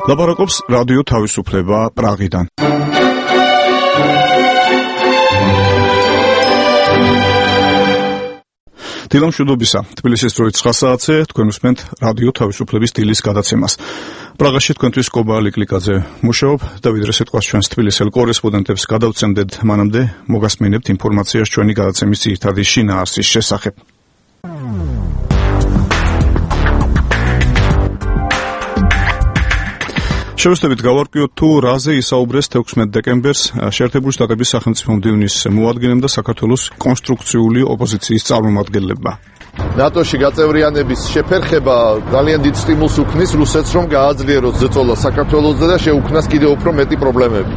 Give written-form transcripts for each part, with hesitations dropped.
ლაპარაკობს რადიო თავისუფლება პრაღიდან. დილამშვიდობისა, თბილისის დროით 9 საათზე თქვენ უსმენთ რადიო თავისუფლების დილის გადაცემას. პრაღაში თქვენთვის კობა ლიკლიკაძე მუშაობ და ვიდრე სიტყვას ჩვენს თბილისელ კორესპონდენტებს გადავცემდეთ, მანამდე მოგასმინებთ ინფორმაციას ჩვენი გადაცემის ძირითადი შინაარსის შესახებ. შევეცდებით გავარკვიოთ თუ რაზე ისაუბრეს 16 დეკემბერს შეერთებული შტატების სახელმწიფო მდივნის მოადგილემ და საქართველოს კონსტრუქციული ოპოზიციის წარმომადგენლებმა. ნატოში გაწევრიანების შეფერხება ძალიან დიდ სტიმულს უქმნის რუსეთს, რომ გააძლიეროს ზეწოლა საქართველოსზე და შეუქმნას კიდევ უფრო მეტი პრობლემები.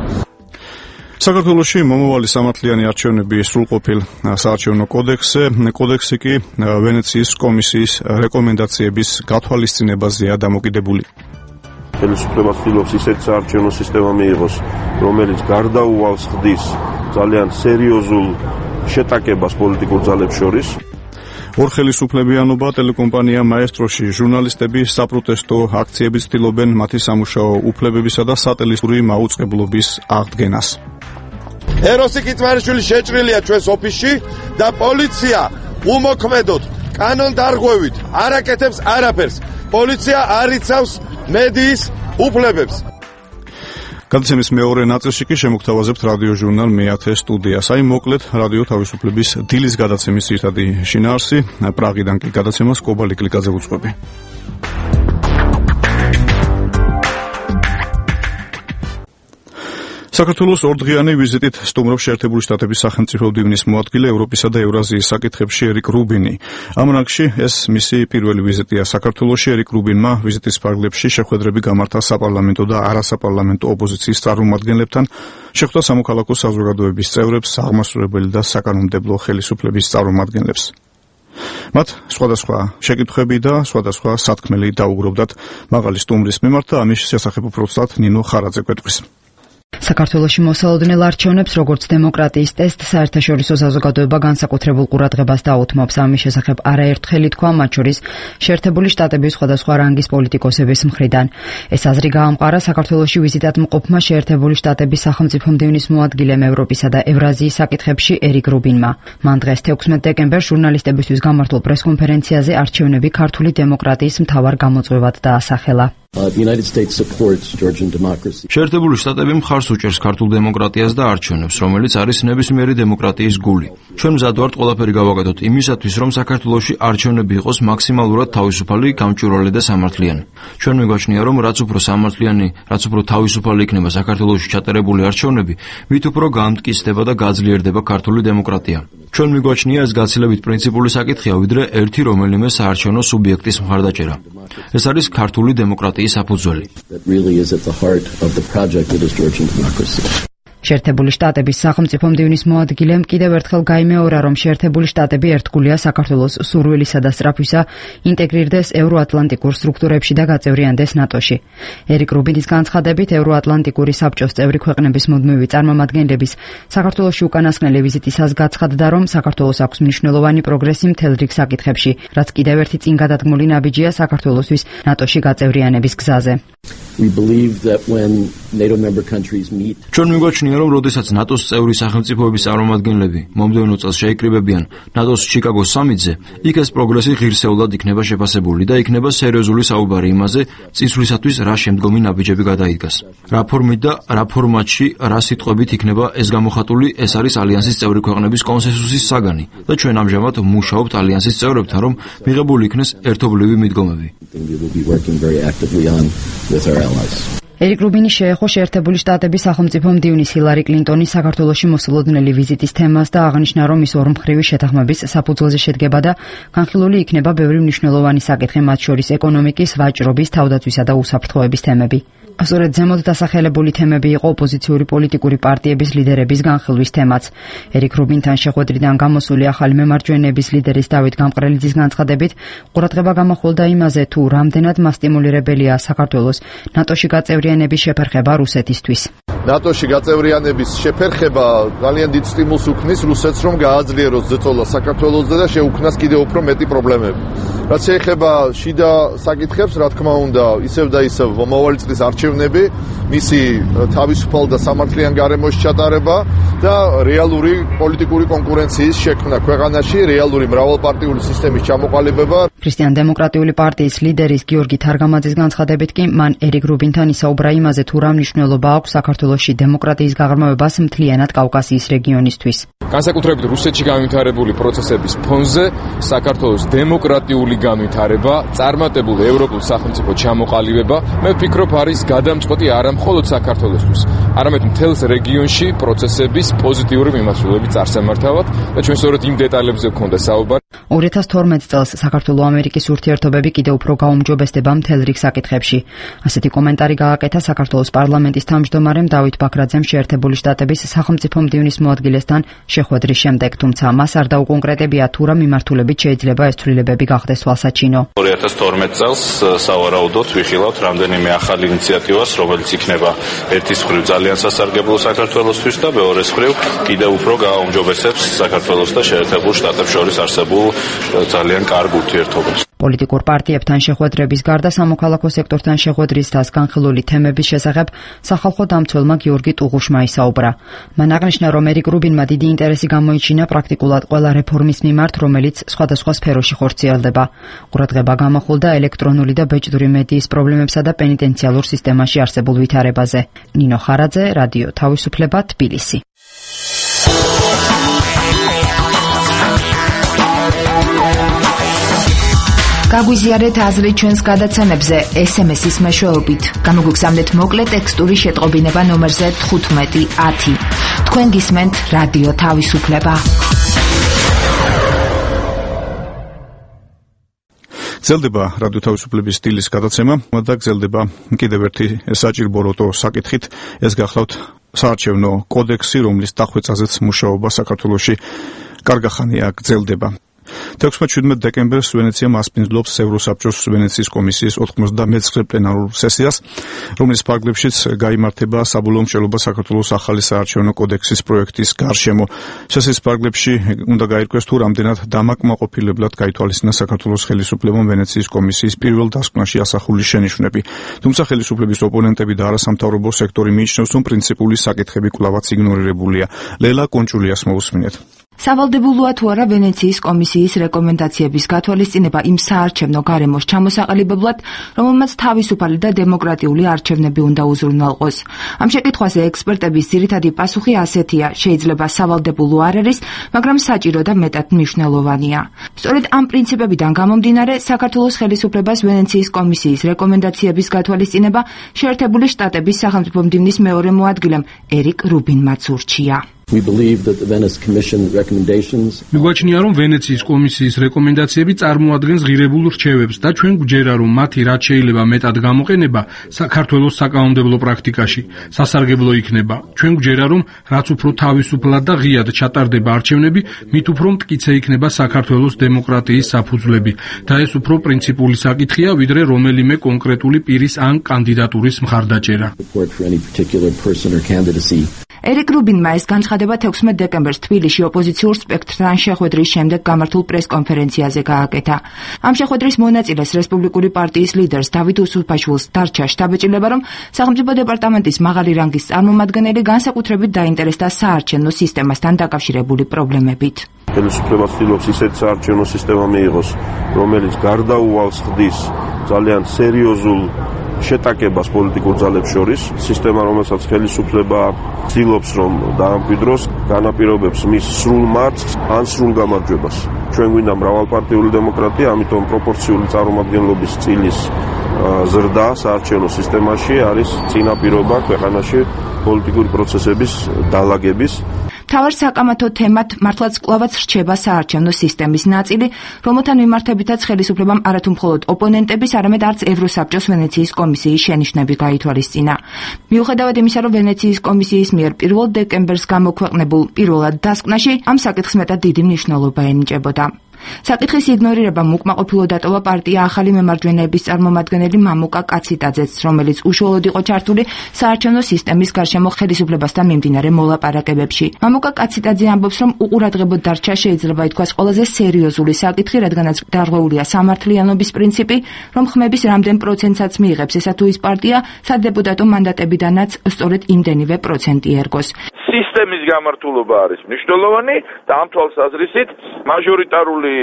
საქართველოში მომავალი სამართლიანი არჩევნები სრულყოფილ საარჩევნო კოდექსი კი ვენეციის კომისიის რეკომენდაციების გათვალისწინებაზეა დამოკიდებული. ხელისუფლება ცდილობს ისეთ საარჩევნო სისტემა მიიღოს, რომელიც გარდაუვალს ხდის ძალიან სერიოზულ შეტაკებას პოლიტიკურ ძალებს შორის. ორხელისუფლებიანობა ტელეკომპანია მაესტროში ჟურნალისტები საპროტესტო აქციებით ცდილობენ მათი სამუშაო უფლებებისა და სატელესური მაუწყებლობის აღდგენას. ეროსი კიტმარიშვილი შეჭრილია ჩვენს ოფისში და პოლიცია უმოქმედოდ კანონდარღვევით არ აკეთებს არაფერს. პოლიცია არ იცავს მედიის უფლებებს. გადაცემის მეორე ნაწილში კი შემოგთავაზებთ რადიო ჟურნალ მე-10 სტუდიას. აი მოკლედ რადიო თავისუფლების დილის გადაცემის ძირითადი შინაარსი. პრაღიდან კი გადაცემას კობა ლიკლიკაძე უძღვები. საქართველოს ორდღიანი ვიზიტით სტუმრობს შეერთებული შტატების სახელმწიფო მდივნის მოადგილე ევროპისა და ევრაზიის საკითხებში ერიკ რუბინი. ამ რანგში ეს მისი პირველი ვიზიტია საქართველოში. ერიკ რუბინმა ვიზიტის ფარგლებში შეხვედრები გამართა საპარლამენტო და არასაპარლამენტო ოპოზიციის წარმომადგენლებთან, შეხვდა სამოქალაქო საზოგადოების წევრებს, აღმასრულებელი და საკანონმდებლო ხელისუფლების წარმომადგენლებს. მათ სხვადასხვა შეკითხვები და სხვადასხვა სათქმელი დაუგროვდათ მაღალი სტუმრის მიმართ და ამის შესახებ უბრალოდ ნინო ხარაძე გვეტყვის. საქართველოში მოსალოდნელ არჩევნებს როგორც დემოკრატიის ტესტ საერთაშორისო საზოგადოება განსაკუთრებულ ყურადღებას დაუთმობს. ამის შესახებ არაერთხელ ითქვა, მათ შორის შეერთებული შტატების სხვადასხვა რანგის პოლიტიკოსების მხრიდან. ეს აზრი გაამყარა საქართველოში ვიზიტად მყოფმა შეერთებული შტატების სახელმწიფო მდივნის მოადგილემ ევროპისა და ევრაზიის საკითხებში ერიკ რუბინმა. მან დღეს 16 დეკემბერს ჟურნალისტებისთვის გამართულ პრესკონფერენციაზე არჩევნები ქართული დემოკრატიის მთავარ გამოწვევად დაასახელა. შეერთებული შტატები მხარს უჭერს ქართულ დემოკრატიას და არჩევნებს, რომელიც არის ნებისმიერი დემოკრატიის გული. ჩვენ მზად ვართ ყველაფერი გავაკეთოთ იმისათვის, რომ საქართველოში არჩევნები იყოს მაქსიმალურად თავისუფალი, გამჭვირვალე და სამართლიანი. ჩვენ მიგვაჩნია, რომ რაც უფრო სამართლიანი, რაც უფრო თავისუფალი იქნება საქართველოში ჩატარებული არჩევნები, მით უფრო გამტკიცდება და გაძლიერდება ქართული დემოკრატია. ჩვენ მიგვაჩნია ეს გაცილებით პრინციპული საკითხია, ვიდრე ერთი რომელიმე საარჩევნო სუბიექტის მხარდაჭერა. ეს არის ქართული დემოკრატიის საფუძველი. შეერთებული შტატების სახელმწიფო მდივნის მოადგილემ კიდევ ერთხელ გაიმეორა, რომ შეერთებული შტატები ერთგულია საქართველოს სურვილისა და სწრაფვისა ინტეგრირდეს ევროატლანტიკურ სტრუქტურებში და გაწევრიანდეს ნატოში. ერიკ რუბინის განცხადებით, ევროატლანტიკური საბჭოს წევრი ქვეყნების მუდმივი წარმომადგენლების საქართველოში უკანასკნელი ვიზიტისას გაცხადდა, რომ საქართველოს აქვს მნიშვნელოვანი პროგრესი მთელ რიგ საკითხებში, რაც კიდევ ერთი წინგადადგმული ნაბიჯია საქართველოსთვის ნატოში გაწევრიანების გზაზე. ჩვენ მიგვაჩნია, რომ როდესაც ნატოს წევრი სახელმწიფოების წარმომადგენლები მომდევნო წელს შეიკრიბებიან ნატოს ჩიკაგოს სამიტზე, იქ ეს პროგრესი ღირსეულად იქნება შეფასებული და იქნება სერიოზული საუბარი იმაზე, წინსვლისათვის რა შემდგომი ნაბიჯები გადაიდგას. რა ფორმით და რა ფორმატში, რა სიტყვებით იქნება ეს გამოხატული, ეს არის ალიანსის წევრი ქვეყნების კონსენსუსის საგანი და ჩვენ ამჟამად მუშაობთ ალიანსის წევრებთან, რომ მიღებული იქნეს ერთობლივი მიდგომები. ერიკ რუბინი შეეხო შეერთებული შტატების სახელმწიფო მდივნის ჰილარი კლინტონის საქართველოში მოსალოდნელი ვიზიტის თემას და აღნიშნა, რომ ის ორმხრივი შეთანხმების საფუძველზე შედგება და განხილული იქნება ბევრი მნიშვნელოვანი საკითხი, მათ შორის ეკონომიკის, ვაჭრობის, თავდაცვისა და უსაფრთხოების თემები. სწორედ ზემოთ დასახელებული თემები იყო ოპოზიციური პოლიტიკური პარტიების ლიდერების განხილვის თემაც. ერიკ რუბინთან შეხვედრიდან გამოსული ახალი მემარჯვენეების ლიდერის დავით გამყრელიძის განცხადებით, ყურადღება გამახვილდა იმაზე, თუ რამდენად მასტიმულირებელია საქართველოს ნატოში გაწევრიანების შეფერხება რუსეთისთვის. ნატოში გაწევრიანების შეფერხება ძალიან დიდ სტიმულს უქმნის რუსეთს, რომ გააძლიეროს ზეწოლა საქართველოსზე და შეუქმნას კიდევ უფრო მეტი პრობლემები. რაც შეეხება შიდა საკითხებს, რა თქმა უნდა, ისევ და ისევ მომავალი წლის არჩევნებში არჩევნები, მისი თავისუფალ და სამართლიან გარემოში ჩატარება და რეალური პოლიტიკური კონკურენციის შექმნა ქვეყანაში, რეალური მრავალპარტიული სისტემის ჩამოყალიბება. ქრისტიან-დემოკრატიული პარტიის ლიდერის გიორგი თარგამაძის განცხადებით კი მან ერიკ რუბინთან ისაუბრა იმაზე, თუ რა მნიშვნელობა აქვს საქართველოში დემოკრატიის გაღრმავებას მთლიანად კავკასიის რეგიონისთვის. განსაკუთრებით რუსეთში განვითარებული პროცესების ფონზე საქართველოს დემოკრატიული განვითარება, წარმატებულ ევროპულ სახელმწიფო ჩამოყალიბება, მე ვფიქრობ, არის გადამწყვეტი არა მხოლოდ საქართველოსთვის, არამედ მთელს რეგიონში პროცესების პოზიტიური მიმართულებით წარსამართავად და ჩვენ სწორედ იმ დეტალებზე გვქონდა საუბარი. 2012 წელს საქართველო-ამერიკის ურთიერთობები კიდევ უფრო გაუმჯობესდება მთელ რიგ საკითხებში. ასეთი კომენტარი გააკეთა საქართველოს პარლამენტის თავმჯდომარემ დავით ბაქრაძემ შეერთებული შტატების სახელმწიფო მდივნის მოადგილესთან შეხვედრის შემდეგ, თუმცა მას არ დაუკონკრეტებია თუ რა მიმართულებით შეიძლება ეს ცვლილებები გახდეს თვალსაჩინო. 2012 წელს სავარაუდოდ ვიხილავთ რამდენიმე ახალ ინიციატივას, რომელიც იქნება ერთის მხრივ ძალიან სასარგებლო საქართველოსთვის და მეორეს მხრივ კიდევ უფრო გააუმჯობესებს საქართველოს და შეერთებულ შტატებს შორის არსებულ ძალიან კარგ ურთიერთობებს. პოლიტიკურ პარტიებთან შეხვედრების გარდა სამოქალაქო სექტორთან შეხვედრის და განხილული თემების შესახებ სახალხო დამცველმა გიორგი ტუღუშმა ისაუბრა. მან აღნიშნა, რომ ერიკ რუბინმა დიდი ინტერესი გამოიჩინა პრაქტიკულად ყველა რეფორმის მიმართ, რომელიც სხვადასხვა სფეროში ხორციელდება. ყურადღება გამახვილდა ელექტრონული და ბეჭდური მედიის პრობლემებსა და პენიტენციალურ სისტემაში არსებულ ვითარებაზე. ნინო ხარაძე, რადიო თავისუფლება, თბილისი. გაგვიზიარეთ აზრი ჩვენს გადაცემებზე SMS-ის მეშვეობით. გამოგვიგზავნეთ მოკლე ტექსტური შეტყობინება ნომერზე 1510. თქვენ გისმენთ რადიო თავისუფლება. გრძელდება რადიო თავისუფლების სტილის გადაცემა და გრძელდება კიდევ ერთი საჭირო როტო საკითხით. ეს გახლავთ საარჩევნო კოდექსი, რომლის დახვეწაზეც მუშაობა საქართველოში კარგახანია გრძელდება. 16-17 დეკემბერს ვენეცია მასპინძლობს ევროსაბჭოს ვენეციის კომისიის 99 პლენარულ სესიას, რომლის ფარგლებშიც გაიმართება საბოლოო მშენებლობა საქართველოს ახალი საარჩევნო კოდექსის პროექტის გარშემო. სესიის ფარგლებში უნდა გაირკვეს თუ რამდენად დამაკმაყოფილებლად გაითვალისწინა საქართველოს ხელისუფლებამ ვენეციის კომისიის პირველ დასკვნაში ასახული შენიშვნები. თუმცა ხელისუფლების ოპონენტები და არასამთავრობო სექტორი მიიჩნევს, რომ პრინციპული საკითხები კვლავაც იგნორირებულია. ლელა კონჭულიას მოусმინეთ. სავალდებულოა თუ არა ვენეციის კომისიის რეკომენდაციების გათვალისწინება იმ საარჩევნო გარემოს ჩამოსაყალიბებლად, რომელმაც თავისუფალი და დემოკრატიული არჩევნები უნდა უზრუნველყოს. ამ შეკითხვაზე ექსპერტების ძირითადი პასუხი ასეთია: შეიძლება სავალდებულო არ არის, მაგრამ საჭირო და მეტად მნიშვნელოვანია. სწორედ ამ პრინციპებიდან გამომდინარე, საქართველოს ხელისუფლებას ვენეციის კომისიის რეკომენდაციების გათვალისწინება შეერთებული შტატების სახელმწიფო მდივნის მეორე მოადგილემ ერიკ რუბინმაც ურჩია. მიგვაჩნია, რომ ვენეციის კომისიის რეკომენდაციები წარმოადგენს ღირებულ რჩევებს და ჩვენ გვჯერა, რომ მათი რაც შეიძლება მეტად გამოყენება საქართველოს საკანონმდებლო პრაქტიკაში სასარგებლო იქნება. ჩვენ გვჯერა, რომ რაც უფრო თავისუფლად და ღიად ჩატარდება არჩევნები, მით უფრო მტკიცე იქნება საქართველოს დემოკრატიის საფუძვლები და ეს უფრო პრინციპული საკითხია, ვიდრე რომელიმე კონკრეტული პირის ან კანდიდატურის მხარდაჭერა. ერიკ რუბინმა ეს განცხადება 16 დეკემბერს თბილისში ოპოზიციურ სპექტრთან შეხვედრის შემდეგ გამართულ პრეს-კონფერენციაზე გააკეთა. ამ შეხვედრის მონაწილეს რესპუბლიკური პარტიის ლიდერს დავით უსუფაშვილს დარჩა შთაბეჭდილება, რომ სახელმწიფო დეპარტამენტის მაღალი რანგის წარმომადგენელი განსაკუთრებით დაინტერესდა საარჩევნო სისტემასთან დაკავშირებული პრობლემებით. ხელისუფლება ცდილობს ისეთ საარჩევნო სისტემა მიიღოს, რომელიც გარდაუვალს ხდის ძალიან სერიოზულ შეტაკებას პოლიტიკურ ძალებს შორის, სისტემა, რომელსაც ხელისუფლება ცდილობს, რომ დაამკვიდროს, განაპირობებს მის სრულ მარცხს ან სრულ გამარჯვებას. ჩვენ გვინდა მრავალპარტიული დემოკრატია, ამიტომ პროპორციული წარმომადგენლობის წილის ზრდა საარჩევნო სისტემაში არის წინაპირობა ქვეყანაში პოლიტიკური პროცესების დალაგების. მთავარ საკამათო თემად მართლაც კვლავაც რჩება საარჩევნო სისტემის ნაწილი, რომელთან მიმართებითაც ხელისუფლებამ არათუ მხოლოდ ოპონენტების, არამედ არც ევროსაბჭოს ვენეციის კომისიის შენიშვნები გაითვალისწინა. მიუხედავად იმისა, რომ ვენეციის კომისიის მიერ 1 დეკემბერს გამოქვეყნებულ პირველად დასკვნაში ამ საკითხს მეტად დიდი მნიშვნელობა ენიჭებოდა. საკითხის იგნორირებამ უკმაყოფილო დატოვა პარტია ახალი მემარჯვენეების წარმომადგენელი მამუკა კაციტაძეც, რომელიც უშუალოდ იყო ჩართული საარჩევნო სისტემის გარშემო ხელისუფლებასთან მიმდინარე მოლაპარაკებებში. მამუკა კაციტაძე ამბობს, რომ უყურადღებოდ დარჩა შეიძლება ითქვას ყველაზე სერიოზული საკითხი, რადგანაც დარღვეულია სამართლიანობის პრინციპი, რომ ხმების რამდენ პროცენტსაც მიიღებს ესა თუ ის პარტია, სადეპუტატო მანდატებიდანაც სწორედ იმდენივე პროცენტი ერგოს. სისტემის გამართულობა არის მნიშვნელოვანი და ამ თვალსაზრისით მაჟორიტარული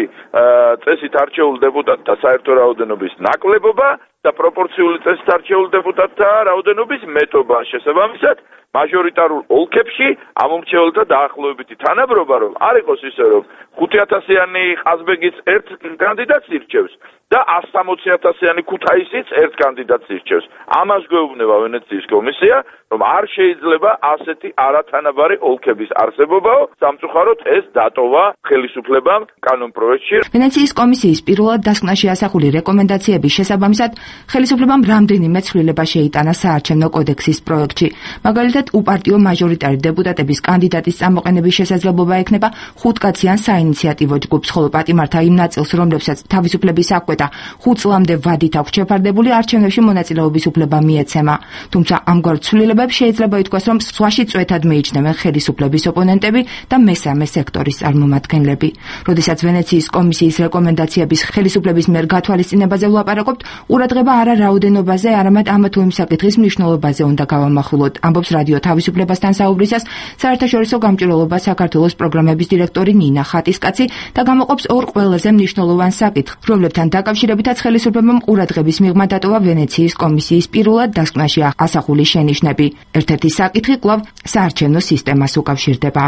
წესით არჩეულ დეპუტატთა საერთო რაოდენობის ნაკლებობა და პროპორციული წესით არჩეულ დეპუტატთა რაოდენობის მეტობა. შესაბამისად, მაჟორიტარულ ოლქებში ამომრჩეველთა დაახლოებითი თანაბრობა რომ არ იყოს ისე რომ 5,000-იანი ყაზბეგიც ერთ კანდიდატს ირჩევს და 160,000-იანი ქუთაისიც ერთ კანდიდატს ირჩევს. ამას გვეუბნება ვენეციის კომისია, რომ არ შეიძლება ასეთი არათანაბარი ოლქების არსებობაო, სამწუხაროდ ეს დატოვა ხელისუფლებამ კანონპროექტში. ვენეციის კომისიის პირველად დასკვნაში ასახული რეკომენდაციების შესაბამისად, ხელისუფლებამ რამდენიმე ცვლილება შეიტანა საარჩევნო კოდექსის პროექტში. მაგალითად, უპარტიო მაჟორიტარი დეპუტატების კანდიდატის წამოყენების შესაძლებლობა ექნება 5-კაციან საინიციატივო ჯგუფს, ხოლო პატიმართა იმ ნაწილს, რომლებსაც თავისუფლების აღკვეთა 5 წლამდე ვადით აქვს შეფარდებული, არჩევნებში მონაწილეობის უფლება მიეცემა. თუმცა ამგვარ ცვლილებებს შეიძლება ითქვას, რომ სხვაში წვეთად მიიჩნევენ ხელისუფლების ოპონენტები და მესამე სექტორის წარმომადგენლები. როდესაც ვენეციის კომისიის რეკომენდაციების ხელისუფლების მიერ გათვალისწინებაზე ვლაპარაკობთ, ყურადღება არა რაოდენობაზე, არამედ ამა თუ იმ საკითხის მნიშვნელობაზე უნდა გავამახვილოთ, ამბობს რადიო თავისუფლებასთან საუბრისას საერთაშორისო გამჭვირვალობა საქართველოს პროგრამების დირექტორი ნინა ხატისკაცი და გამოყოფს ორ ყველაზე მნიშვნელოვან საკითხს, რომლებთან დაკავშირებითაც ხელისუფლებამ ყურადღების მიღმა დატოვა ვენეციის კომისიის პირველად დასკვნაში ასახული შენიშვნები. ერთ-ერთი საკითხი კვლავ საარჩევნო სისტემას უკავშირდება.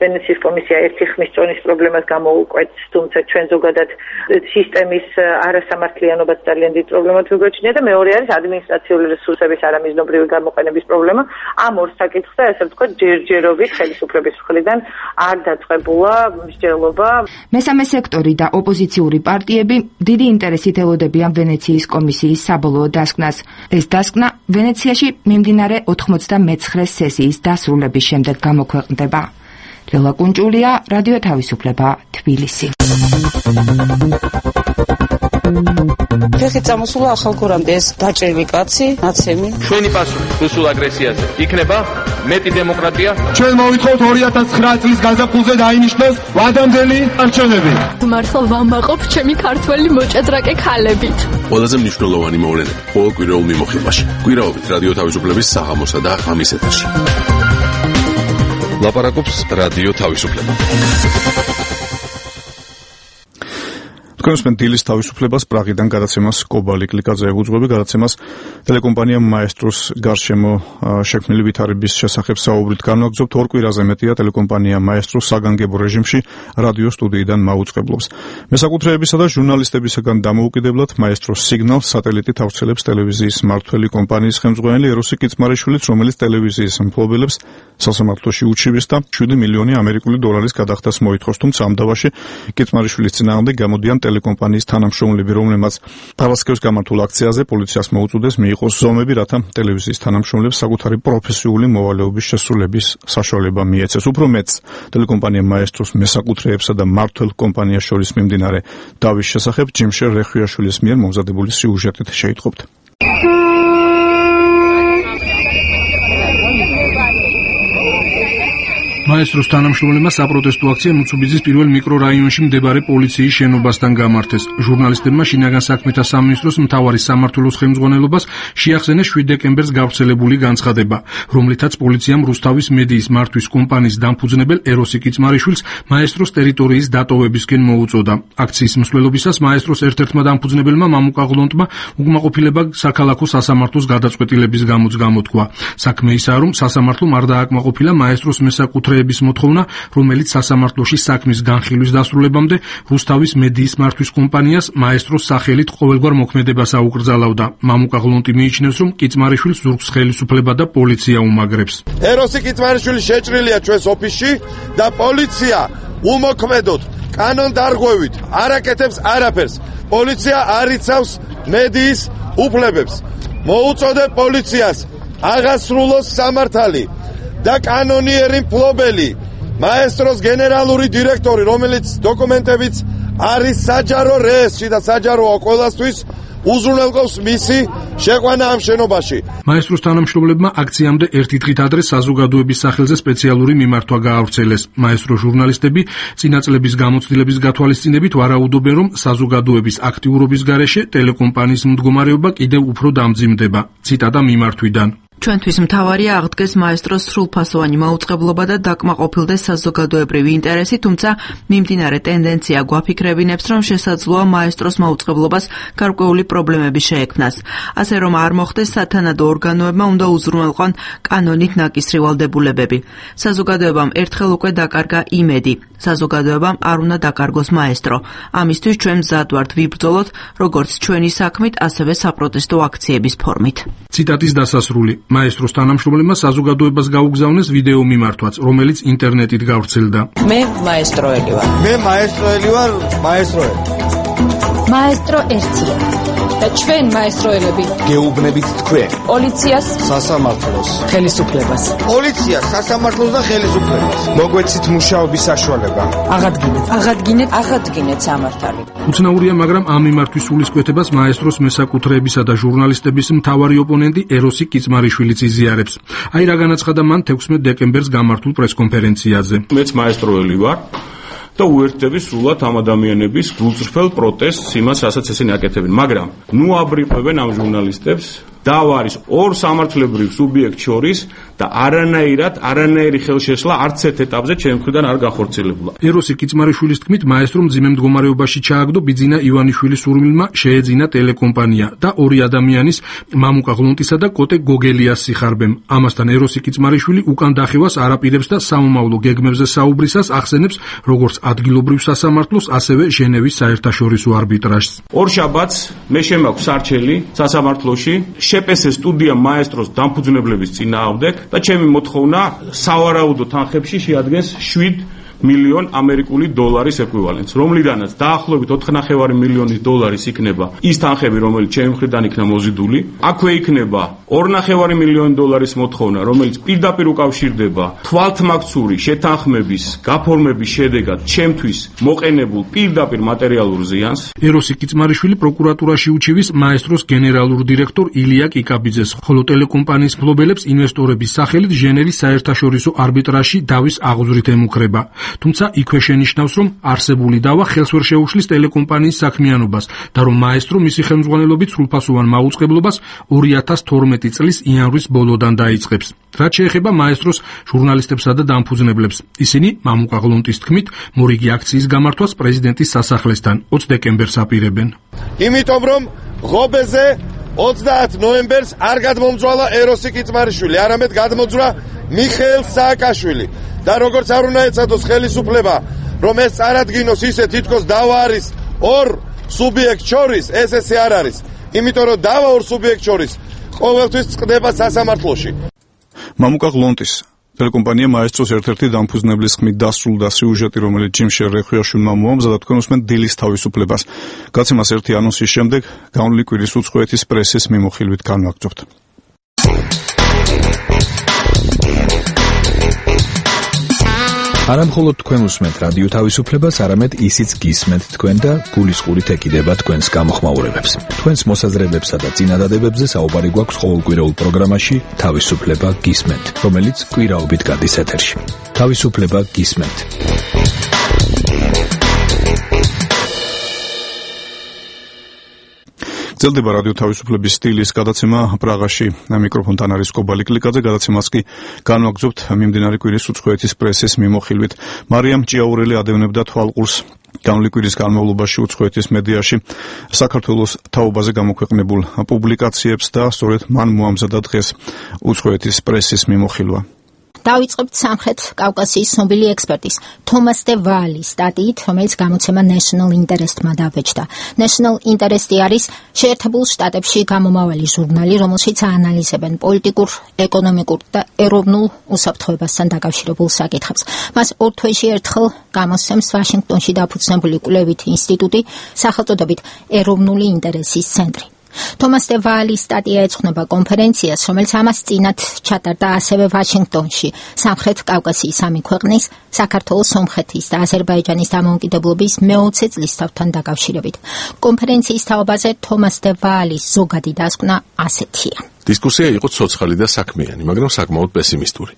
ვენეციის კომისია ერთი ხმის წონის პრობლემას გამოუკვეთს, თუმცა ჩვენ ზოგადად სისტემის არასამართლიანობაც ძალიან დიდ პრობლემად ვიგვეჩნია და მეორე არის ადმინისტრაციული რესურსების არამიზნობრივი გამოყენების პრობლემა. ამ ორ საკითხზე, ასე ვთქვათ, ჯერჯერობით ხელისუფლების მხრიდან არ დაწყებულა მსჯელობა. მესამე სექტორი და ოპოზიციური პარტიები დიდი ინტერესით ელოდებიან ვენეციის კომისიის საბოლოო დასკვნას. ეს დასკვნა ვენეციაში მიმდინარე 99 სესიის დასრულების შემდეგ გამოქვეყნდება. ლელა კუნჭულია, რადიო თავისუფლება, თბილისი. ფეხი წამოსულა ახალგორამდე ეს დაჭრილი კაცი, ნაცემი. ჩვენი პასუხი რუსულ აგრესიაზე იქნება მეტი დემოკრატია. ჩვენ მოვითხოვთ 2009 წლის გაზაფხულზე დაინიშნოს ვადამდელი არჩევნები. მართლა ვამაყობ ჩემი ქართველი მოჭადრაკე ქალებით. ყველაზე მნიშვნელოვანი მოვლენები ყოველ კვირაულ მიმოხილვაში. კვირაობით რადიო თავისუფლების საღამოსა და ღამის ეთერში. ლაპარაკობს რადიო თავისუფლება. თქვენ დილის თავისუფლებას პრაღიდან გადაცემას კობალი კლიკაძე ეუძღვები, გადაცემას ტელეკომპანია მაესტროს გარშემო შექმნილი ვითარების შესახებ საუბრით განვაგრძობთ. ორ კვირაზე მეტია ტელეკომპანია მაესტრო საგანგებო რეჟიმში რადიო სტუდიიდან მაუწყებლობს. მესაკუთრეებისა და ჟურნალისტებისაგან დამოუკიდებლად მაესტროს სიგნალს სატელიტით ავრცელებს ტელევიზიის მმართველი კომპანიის ხელმძღვანელი ეროსი კიცმარიშვილიც, რომელიც ტელევიზიის მფლობელებს სასამართლოში უჩივის და 7 მილიონი ამერიკული დოლარის გადახდას მოითხოვს. თუმცა ამ დავაში კიცმარიშვილის წინააღმდეგ გამოდიან ტელეკომპანიის თანამშრომლები, რომლებმაც პარასკევს გამართულ აქციაზე პოლიციას მოუწოდეს მიიღოს ზომები, რათა ტელევიზიის თანამშრომლებს საკუთარი პროფესიული მოვალეობის შესრულების საშუალება მიეცეს. უფრო მეტს, ტელეკომპანია მაესტროს მესაკუთრეებსა და მმართველ კომპანიას შორის მიმდინარე დავის შესახებ ჯიმშერ რეხუიაშვილის მიერ მომზადებული სიუჟეტით შეიტყობთ. მაესტროს თანამშრომლებმა საპროტესტო აქცია მუცუბიძის პირველ მიკრორაიონში მდებარე პოლიციის შენობასთან გამართეს. ჟურნალისტებმა შინაგან საქმეთა სამინისტროს მთავარი სამმართველოს ხელმძღვანელობას შეახსენეს 7 დეკემბერს გავრცელებული განცხადება, რომლითაც პოლიციამ რუსთავის მედიის მართვის კომპანიის დამფუძნებელ ეროსი კიცმარიშვილს მაესტროს ტერიტორიის დატოვებისკენ მოუწოდა. აქციის მსვლელობისას მაესტროს ერთ-ერთმა დამფუძნებელმა მამუკა ღლონტმა უკმაყოფილება საქალაქო სასამართლოს გადაწყვეტილების გამოც გამოთქვა. საქმე ისაა, რომ სასამართლომ არ დააკმაყოფილა მაესტროს მესაკუთრე მოთხოვნა, რომელიც სასამართლოში საქმის განხილვის დასრულებამდე რუსთავის მედიის მართვის კომპანიას მაესტროს სახელით ყოველგვარ მოქმედებას აუკრძალავდა. მამუკა ღლონტი მიიჩნევს, რომ კიცმარიშვილს ზურგს ხელისუფლება და პოლიცია უმაგრებს. ეროსი კიცმარიშვილი შეჭრილია ჩვენს ოფისში და პოლიცია უმოქმედოდ კანონდარღვევით არ აკეთებს არაფერს. პოლიცია არ იცავს მედიის უფლებებს. მოუწოდებ პოლიციას აღასრულოს სამართალი და კანონიერი მფლობელი მაესტროს გენერალური დირექტორი, რომელიც დოკუმენტებიც არის საჯარო რესში და საჯაროა ყველასთვის უზრუნველყოფს მისი შეყვანა ამ შენობაში. მაესტროს თანამშრომლებმა აქციამდე ერთი დღით ადრე საზოგადოების სახელზე სპეციალური მიმართვა გაავრცელეს. მაესტრო ჟურნალისტები წინა წლების გამოცდილების გათვალისწინებით ვარაუდობენ, რომ საზოგადოების აქტიურობის გარეშე ტელეკომპანიის მდგომარეობა კიდევ უფრო დამძიმდება. ციტატა მიმართვიდან. ჩვენთვის მთავარია აღდგეს მაესტროს სრულფასოვანი მაუწყებლობა და დაკმაყოფილდეს საზოგადოებრივი ინტერესი, თუმცა მიმდინარე ტენდენცია გვაფიქრებინებს, რომ შესაძლოა მაესტროს მაუწყებლობას გარკვეული პრობლემები შეექმნას. ასე რომ არ მოხდეს სათანადო ორგანოებმა უნდა უზრუნველყონ კანონით ნაკისრი ვალდებულებები. საზოგადოებამ ერთხელ უკვე დაკარგა იმედი. საზოგადოებამ არ უნდა დაკარგოს მაესტრო. ამისთვის ჩვენ მზად ვართ ვიბრძოლოთ, როგორც ჩვენი საქმით, ასევე საპროტესტო აქციების ფორმით. ციტატის დასასრული. მაესტროს თანამშრომლებმა საზოგადოებას გაუგზავნეს ვიდეო მიმართვაც, რომელიც ინტერნეტით გავრცელდა. მე მაესტროელი ვარ. მე მაესტროელი ვარ, მაესტროელი. მაესტრო ერთია. და ჩვენ მაესტროელები გეუბნებით თქვენ პოლიციას, სასამართლოს, ხელისუფლებას. პოლიციას, სასამართლოს და ხელისუფლებას. მოგვეცით მუშაობის საშუალება. აღადგინეთ სამართალი. უცნაურია, მაგრამ ამ მიმართვის სულისკვეთებას მაესტროს მესაკუთრეებისა და ჟურნალისტების მთავარი ოპონენტი ეროსი კიცმარიშვილიც იზიარებს. აი რა განაცხადა მან 16 დეკემბერს გამართულ პრესკონფერენციაზე. მეც მაესტროელი ვარ. და უერთდები სრულად ამ ადამიანების გულწრფელ პროტესტს, იმას, რასაც ესენი აკეთებენ, მაგრამ ნუ აბრიფებენ ამ ჟურნალისტებს დავა არის ორ სამართლებრივ სუბიექტ შორის და არანაირი ხელშეშლა არც ერთ ეტაპზე ჩემ მხრიდან არ გახორციელებულა. ეროსი კიცმარიშვილის თქმით, მაესტრომ მძიმე მდგომარეობაში ჩააგდო ბიძინა ივანიშვილის სურვილმა შეეძინა ტელეკომპანია და ორი ადამიანის, მამუკა ღლონტისა და კოტე გოგელიას სიხარბემ. ამასთან ეროსი კიცმარიშვილი უკან დახევას არაპირებს და სამომავლო გეგმებზე საუბრისას ახსენებს როგორც ადგილობრივ სასამართლოს, ასევე ჟენევის საერთაშორისო არბიტრაჟს. ორშაბათს მე შემაქვს სარჩელი სასამართლოში შეპესე სტუდია მაესტროს დამფუძნებლების წინააღმდეგ და ჩემი მოთხოვნა სავარაუდო თანხებში შეადგენს 7 მილიონ ამერიკული დოლარის ეკვივალენტს, რომლიდანაც დაახლოებით 4.5 მილიონი დოლარის იქნება ის თანხები, რომელიც ჩემი მხრიდან იქნა მოზიდული. აქვე იქნება 2.5 მილიონი დოლარის მოთხოვნა, რომელიც პირდაპირ უკავშირდება თვალთმაქცური შეთანხმების გაფორმების შედეგად ჩემთვის მოყენებულ პირდაპირ მატერიალურ ზიანს. ეროსი კიცმარიშვილი პროკურატურაში უჩივის მაესტროს გენერალურ დირექტორ ილია კიკაბიძეს, ხოლო ტელეკომპანიის მფლობელებს ინვესტორების სახელით ჟენევის საერთაშორისო არბიტრაჟში დავის აღზრით ემუქრება. თუმცა იქვე შენიშნავს, რომ არსებული დავა ხელს ვერ შეუშლის ტელეკომპანიის საქმიანობას და რომ მაესტრო მისი ხელმძღვანელობით სრულფასოვან მაუწყებლობას 2012 წლის იანვრის ბოლოდან დაიწყებს. რაც შეეხება მაესტროს ჟურნალისტებსა და დამფუძნებლებს, ისინი მამუკა ღლონტის თქმით, მორიგი აქციის გამართვას პრეზიდენტის სასახლესთან 20 დეკემბერს აპირებენ. იმიტომ რომ ღობეზე 30 ნოემბერს არ გადმომძვალა ეროსი კიცმარიშვილი, არამედ გადმოძვრა მიხეილ სააკაშვილი. და როგორც არ უნდა ეცადოს ხელისუფლება, რომ ეს წარადგინოს ისე თითქოს დავა არის ორ სუბიექტ შორის, ეს ესე არ არის. იმიტომ რომ დავა ორ სუბიექტ შორის ყოველთვის წყდება სასამართლოში. მამუკა ღლონტის ტელეკომპანია მაესტროს ერთ-ერთი დამფუძნებლის ხმით დასრულდა სიუჟეტი, რომელიც ჯიმშერ რეხვიაშვილმა მოამზადა თქვენ უსმენთ დილის თავისუფლებას. გაცემას ერთი ანონსის შემდეგ განვლილი კვირის უცხოეთის პრესის მიმოხილვით განვაგრძობთ. არა მხოლოდ თქვენ უსმენთ რადიო თავისუფლებას, არამედ ისიც გისმენთ თქვენ და გულისყურით ეკიდება თქვენს გამოხმაურებებს. თქვენს მოსაზრებებსა და წინადადებებზე საუბარი გვაქვს ყოველკვირეულ პროგრამაში თავისუფლება გისმენთ, რომელიც კვირაობით გადის ეთერში. თავისუფლება გისმენთ. გრძელდება რადიო თავისუფლების სტილის გადაცემა პრაღაში. მიკროფონთან არის კობალი კლიკაძე, გადაცემას კი განვაგრძობთ მიმდინარე კვირის უცხოეთის პრესის მიმოხილვით. მარიამ ჭიაურელი ადევნებდა თვალყურს განვლილი კვირის განმავლობაში უცხოეთის მედიაში საქართველოს თაობაზე გამოქვეყნებულ პუბლიკაციებს და სწორედ მან მოამზადა დღეს უცხოეთის პრესის მიმოხილვა. დავიწყებთ სამხრეთ კავკასიის ცნობილი ექსპერტის თომას დე ვალის სტატიით, რომელიც გამოცემა National Interest-მა დაბეჭდა. National Interest-ი არის შეერთებულ შტატებში გამომავალი ჟურნალი, რომელშიც აანალიზებენ პოლიტიკურ, ეკონომიკურ და ეროვნულ უსაფრთხოებასთან დაკავშირებულ საკითხებს. მას ორ თვეში ერთხელ გამოსცემს ვაშინგტონში დაფუძნებული კვლევითი ინსტიტუტი სახელწოდებით ეროვნული ინტერესის ცენტრი. თომას დე ვალის სტატია ეძღვნება კონფერენციას, რომელიც ამას წინათ ჩატარდა ასევე ვაშინგტონში, სამხრეთ კავკასიის სამი ქვეყნის, საქართველოს, სომხეთის და აზერბაიჯანის დამოუკიდებლობის მე-20 წლისთავთან დაკავშირებით. კონფერენციის თაობაზე თომას დე ვალის ზოგადი დასკვნა ასეთია. დისკუსია იყო ცოცხალი და საქმიანი, მაგრამ საკმაოდ პესიმისტური.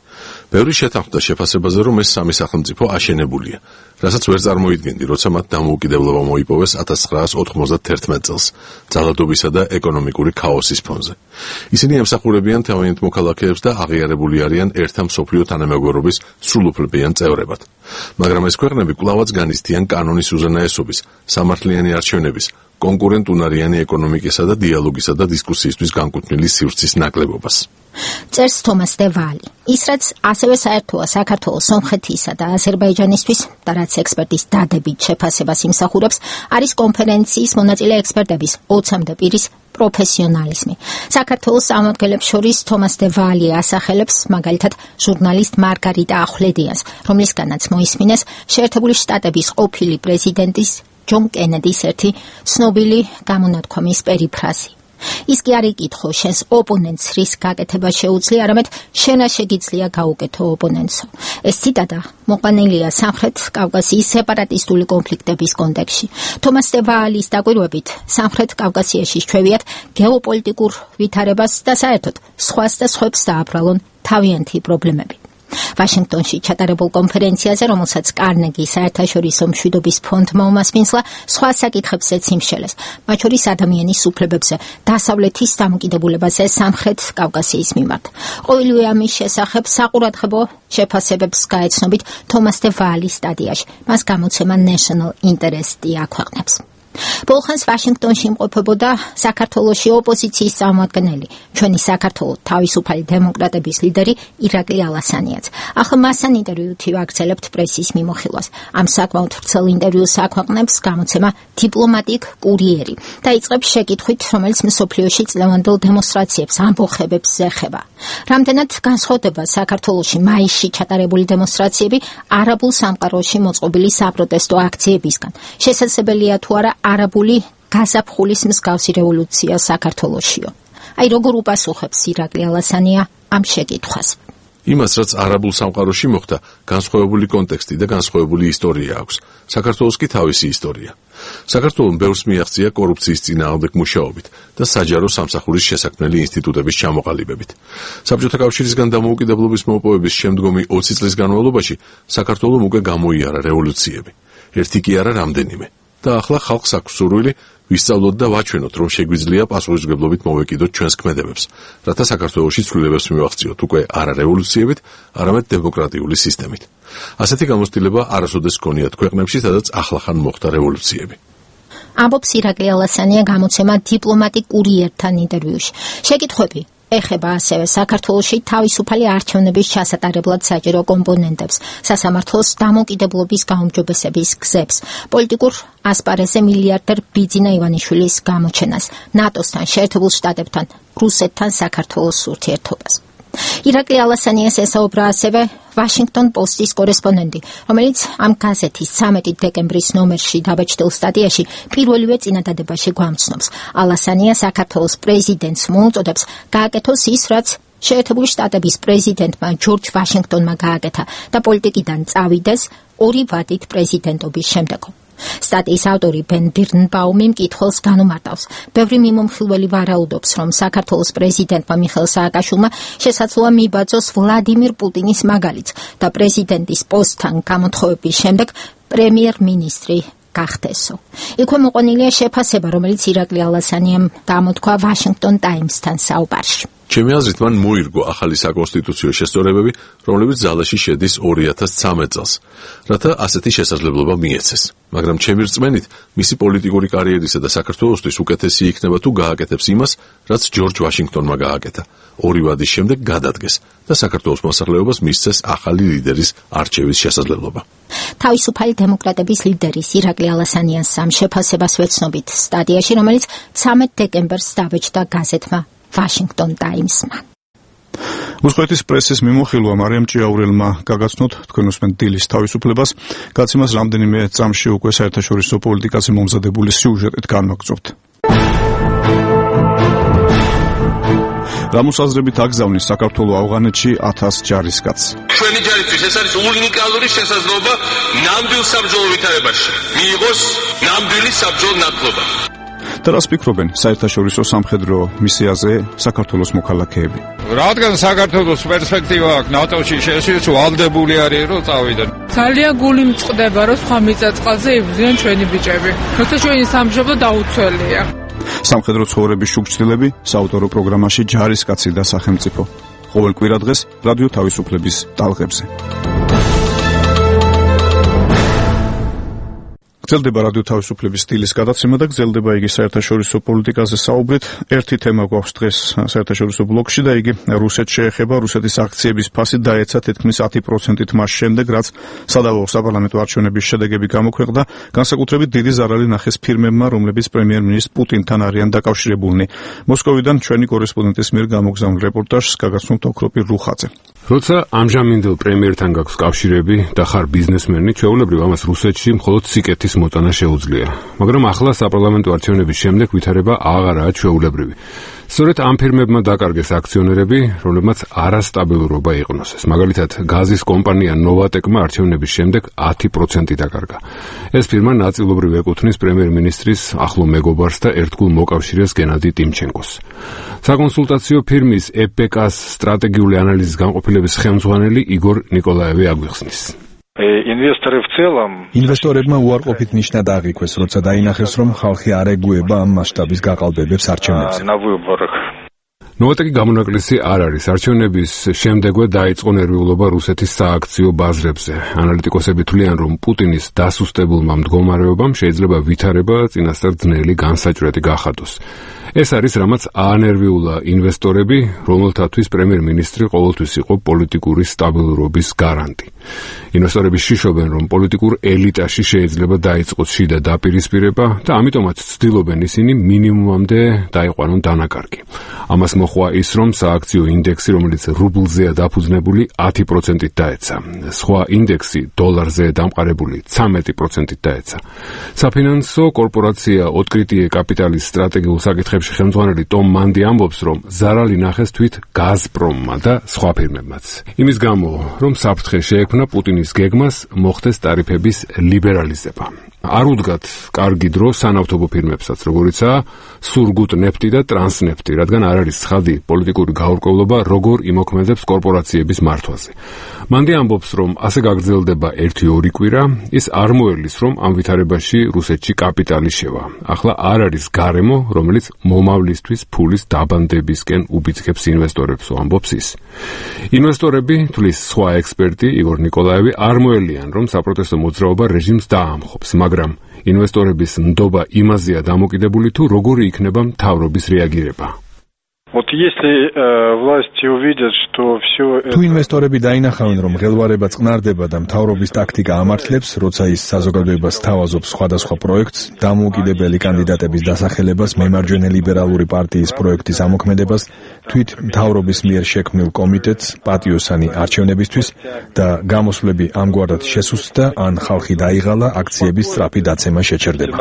ბევრი შეთანხმდა შეფასებაზე, რომ ეს სამი სახელმწიფო აშენებულია, რასაც ვერ წარმოიდგენდი, როცა მათ დამოუკიდებლობა მოიპოვეს 1991 წელს, ძალადობისა და ეკონომიკური ქაოსის ფონზე. ისინი ემსახურებიან თავიანთ მოქალაქეებს და აღიარებული არიან ერთა მსოფლიო თანამეგობრობის სრულუფლებიან წევრებად. მაგრამ ეს ქვეყნები კვლავაც განიცდიან კანონის უზენაესობის, სამართლიანი არჩევნების, კონკურენტუნარიანი ეკონომიკისა და დიალოგისა და დისკუსიისთვის განკუთვნილი სივრცის ნაკლებობას. წერს თომას დე ვალი. ის რაც ასევე საერთოა საქართველოს, სომხეთისა და აზერბაიჯანისთვის და რაც ექსპერტის დადებით შეფასებას იმსახურებს, არის კონფერენციის მონაწილე ექსპერტების 20-მდე პირის პროფესიონალიზმი. საქართველოს წარმომადგენლებს შორის თომას დე ვალი ასახელებს მაგალითად ჟურნალისტ მარგარიტა ახვლედიანს, რომლისგანაც მოისმინეს შეერთებული შტატების ყოფილი პრეზიდენტის ჯონ კენედის ერთი ცნობილი გამონათქვამის პერიფრაზი. ის კი არ იკითხო, შენს ოპონენტს რის გაკეთება შეუძლია, არამედ შენა შეგიძლია გაუკეთო ოპონენტსო. ეს ციტატა მოყვანილია სამხრეთ კავკასიის სეპარატისტული კონფლიქტების კონტექსტში. თომას დე ვალის დაკვირვებით, სამხრეთ კავკასიაში ჩვევიათ გეოპოლიტიკურ ვითარებას და საერთოდ სხვას და სხვებს დააბრალონ თავიანთი პრობლემები. ვაშინგტონში ჩატარებულ კონფერენციაზე, რომელსაც კარნეგის საერთაშორისო მშვიდობის ფონდმა უმასპინძლა, სხვა საკითხებზეც იმშელეს, მათ შორის ადამიანის უფლებებზე, დასავლეთის დამოკიდებულებაზე სამხრეთ კავკასიის მიმართ. ყოველივე ამის შესახებ საყურადღებო შეფასებებს გაეცნობით თომას დე ვალის სტატიაში. მას გამოცემა National Interest აქვეყნებს. ბოლხანს ვაშინგტონში იმყოფებოდა საქართველოში ოპოზიციის წარმომადგენელი, ჩვენი საქართველოს თავისუფალი დემოკრატების ლიდერი ირაკლი ალასანიაც. ახლა მასთან ინტერვიუთი ვაგრძელებთ პრესის მიმოხილვას. ამ საკმაოდ ვრცელ ინტერვიუს აქვეყნებს გამოცემა დიპლომატიკ კურიერი და იწყებს შეკითხვით, რომელიც მსოფლიოში წლევანდელ დემონსტრაციებს ამბოხებებს ეხება. რამდენად განსხვავდება საქართველოში მაისში ჩატარებული დემონსტრაციები არაბულ სამყაროში მოწყობილი საპროტესტო აქციებისგან? შესაძლებელია თუ არა არაბული გაზაფხულის მსგავსი რევოლუცია საქართველოშიო? აი როგორ უპასუხებს ირაკლი ალასანია ამ შეკითხვას? იმას, რაც არაბულ სამყაროში მოხდა, განსხვავებული კონტექსტი და განსხვავებული ისტორია აქვს. საქართველოს კი თავისი ისტორია. საქართველოს ბევრს მიაღწია კორუფციის წინააღმდეგ მუშაობით და საჯარო სამსახურის შესაქმნელი ინსტიტუტების ჩამოყალიბებით. საბჭოთა კავშირისგან დამოუკიდებლობის მოპოვების შემდგომი 20 წლის განმავლობაში საქართველოს უკვე გამოიარა რევოლუციები. ერთი კი არა, რამდენიმე. და ახლა ხალხს აქვს სურვილი ვისწავლოთ და ვაჩვენოთ, რომ შეგვიძლია პასუხისმგებლობით მოვეკიდოთ ჩვენს ქმედებებს, რათა საქართველოში ცვლილებებს მივახციოთ უკვე არა რევოლუციებით, არამედ დემოკრატიული სისტემით. ასეთი გამოცდილება არასოდეს ჰქონიათ ქვეყნებში, სადაც ახლახან მოხდა რევოლუციები. ამბობს ირაკლი ალასანია გამოცემა დიპლომატიკ კურიერთან ინტერვიუში. შეკითხვები ეხება ასევე საქართველოში თავისუფალი არჩევნების ჩასატარებლად საჭირო კომპონენტებს, სასამართლოს დამოუკიდებლობის გაუმჯობესების გზებს, პოლიტიკურ ასპარეზზე მილიარდერ ბიძინა ივანიშვილის გამოჩენას, ნატოსთან, შეერთებულ შტატებთან, რუსეთთან საქართველოს ურთიერთობას. ირაკლი ალასანიას ესაუბრა ასევე ვაშინგტონ პოსტის კორესპონდენტი, რომელიც ამ გაზეთის 13 დეკემბრის ნომერში დაბეჭდილ სტატიაში პირველივე წინადადებაში გვამცნობს. ალასანია საქართველოს პრეზიდენტს მოუწოდებს გააკეთოს ის, რაც შეერთებული შტატების პრეზიდენტმა ჯორჯ ვაშინგტონმა გააკეთა და პოლიტიკიდან წავიდეს 2 ვადით პრეზიდენტობის შემდგომ. სტატიის ავტორი ბენ ბირნბაუმი მკითხველს განუმარტავს. ბევრი მიმომხილველი ვარაუდობს, რომ საქართველოს პრეზიდენტმა მიხეილ სააკაშვილმა შესაძლოა მიიბაძოს ვლადიმირ პუტინის მაგალითს და პრეზიდენტის პოსტთან გამოთხოვების შემდეგ პრემიერ-მინისტრი გახდესო. იქვე მოყვანილია შეფასება, რომელიც ირაკლი ალასანიამ გამოთქვა ვაშინგტონ ტაიმსთან საუბარში. ჩემი აზრით, მან მოირგო ახალი საკონსტიტუციო შესწორებები, რომლებიც ძალაში შედის 2013 წელს, რათა ასეთი შესაძლებლობა მიეცეს. მაგრამ ჩემი რწმენით, მისი პოლიტიკური კარიერისა და საქართველოსთვის უკეთესი იქნება თუ გააკეთებს იმას, რაც ჯორჯ ვაშინგტონმა გააკეთა. 2 ვადის შემდეგ გადადგეს და საქართველოს მოსახლეობას მისცეს ახალი ლიდერის არჩევის შესაძლებლობა. თავისუფალი დემოკრატების ლიდერის ირაკლი ალასანიას ამ შეფასებას ვეცნობით სტატიაში, რომელიც 13 დეკემბერს დაბეჭდა გაზეთმა Washington Times-მა. უსყოეთის პრესის მიმოხილვა მარიამ ჭიაურელმა გაგაცნოთ თქვენ უსმენთ დილის თავისუფლებას. გაცემას რამდენიმე წამში უკვე საერთაშორისო პოლიტიკაზე მომზადებული სიუჟეტით განვაგრძობთ. რამოსაზრებით აგზავნის საქართველოს ავღანეთში 1000 ჯარისკაცს. ჩვენი ჯარისთვის ეს არის უნიკალური შესაძლებლობა ნამდვილ საბრძოლო ვითარებაში მიიღოს ნამდვილი საბრძოლო ნათლობა. და რას ფიქრობენ საერთაშორისო სამხედრო მისიაზე საქართველოს მოქალაქეები? რადგან საქართველოს პერსპექტივა აქვს ნატოში შესვლის ვალდებული არის რომ წავიდნენ. ძალიან გული მწყდება რომ სხვა მიწა-წყალზე იბრძვიან ჩვენი ბიჭები. როცა ჩვენი სამშობლო დაუცველია. სამხედრო ცხოვრების შუქჩილები საავტორო პროგრამაში ჯარისკაცი და სახელმწიფო. ყოველ კვირადღეს რადიო თავისუფლების ტალღებზე. გრძელდება რადიო თავისუფლების სტილის გადაცემა და გრძელდება იგი საერთაშორისო პოლიტიკაზე საუბრით. ერთი თემა გვაქვს დღეს საერთაშორისო ბლოკში და იგი რუსეთს შეეხება. რუსეთის აქციების ფასი დაეცა თითქმის 10%-ით მას შემდეგ, რაც სადავო საპარლამენტო არჩევნების შედეგები გამოქვეყნდა. განსაკუთრებით დიდი ზარალი ნახეს ფირმებმა, რომლებიც პრემიერ-მინისტრ პუტინთან არიან დაკავშირებულნი. მოსკოვიდან ჩვენი კორესპონდენტის მიერ გამოგზავნილ რეპორტაჟს გაგაცნობთ ოქროპი რუხაძე. როცა ამჟამინდელ პრემიერთან გაქვს კავშირები და ხარ ბიზნესმენი, ჩვეულებრივ ამას რუსეთში მხოლოდ სიკეთის მოწანა შეუძლია. მაგრამ ახლა საპარლამენტო არჩევნების შემდეგ ვითარება აღარაა ჩვეულებრივი. სწორედ ამ ფირმებმა დაკარგეს აქციონერები, რომლებმაც არასტაბილურობა იყვნოსეს. მაგალითად, გაზის კომპანია ნოვატეკმა არჩევნების შემდეგ 10% დაკარგა. ეს ფირმა ნაწილობრივ ეკუთვნის პრემიერ-მინისტრის ახლო მეგობარს და ერთგულ მოკავშირეს გენადი ტიმჩენკოს. საკონსულტაციო ფირმის EPK-ს სტრატეგიული ანალიზის განყოფილების ხელმძღვანელი იგორ ნიკოლაევი აგვიხსნის. ინვესტორებმა უარყოფით ნიშნად აღიქვეს, როცა დაინახეს, რომ ხალხი არ ეგუება ამ მასშტაბის გაყალბებებს არჩევნებზე. ნოვატეკი გამონაკლისი არ არის. არჩევნების შემდეგვე დაიწყო ნერვიულობა რუსეთის სააქციო ბაზრებზე. ანალიტიკოსები თვლიან, რომ პუტინის დასუსტებულმა მდგომარეობამ შეიძლება ვითარება წინასწარ ძნელი განსაჭრელი გახადოს. ეს არის რამაც აანერვიულა ინვესტორები, რომელთათვის პრემიერ-მინისტრი ყოველთვის იყო პოლიტიკური სტაბილურობის გარანტი. ინვესტორები შიშობენ, რომ პოლიტიკურ ელიტაში შეიძლება დაიწყოს შიდა დაპირისპირება და ამიტომაც ცდილობენ ისინი მინიმუმამდე დაიყვანონ დანაკარგი. ამას მოჰყვა ის, რომ სააქციო ინდექსი, რომელიც რუბლზეა დაფუძნებული, 10%-ით დაეცა. სხვა ინდექსი დოლარზეა დამყარებული 13%-ით დაეცა. საფინანსო კორპორაცია ოთკრიტიე კაპიტალის სტრატეგიულ საკითხებში ხელმძღვანელი ტომ მანდი ამბობს, რომ ზარალი ნახეს თვით გაზპრომმა და სხვა ფირმებმაც. იმის გამო, რომ საფრთხე შეექმნა პუტინის გეგმას მოხდეს ტარიფების ლიბერალიზება. არ უდგათ კარგი დრო სანავთობო ფირმებსაც, როგორიცაა სურგუტნეფტი და ტრანსნეფტი, რადგან არ არის ცხადი პოლიტიკური გაურკვევლობა, როგორ იმოქმედებს კორპორაციების მართვაზე. მანდი ამბობს, რომ ასე გაგრძელდება 1-2 კვირა, ის არ მოერლის, რომ ამ ვითარებაში რუსეთში კაპიტალი შევა. ახლა არ არის გარემო, რომელიც მომავლისთვის ფულის დაბანდებისკენ უბიძგებს ინვესტორებს, ამბობს ის. ინვესტორები, თვლის სხვა ექსპერტი იგორ ნიკოლაევი, არ მოელიან, რომ საპროტესტო მოძრაობა რეჟიმს დაამხობს, მაგრამ ინვესტორების ნდობა იმაზეა დამოკიდებული, თუ როგორი იქნება მთავრობის რეაგირება. თუ ინვესტორები დაინახავენ, რომ ღელვარება წყნარდება და მთავრობის ტაქტიკა ამართლებს, როცა ის საზოგადოებას თავაზობს სხვადასხვა პროექტს, დამოუკიდებელი კანდიდატების დასახელებას, მემარჯვენე ლიბერალური პარტიის პროექტის ამოქმედებას, თვით მთავრობის მიერ შექმნილ კომიტეტს პატიოსანი არჩევნებისთვის და გამოსვლები ამგვარად შესუსტდა, ან ხალხი დაიღალა, აქციების სწრაფი დაცემა შეჩერდება.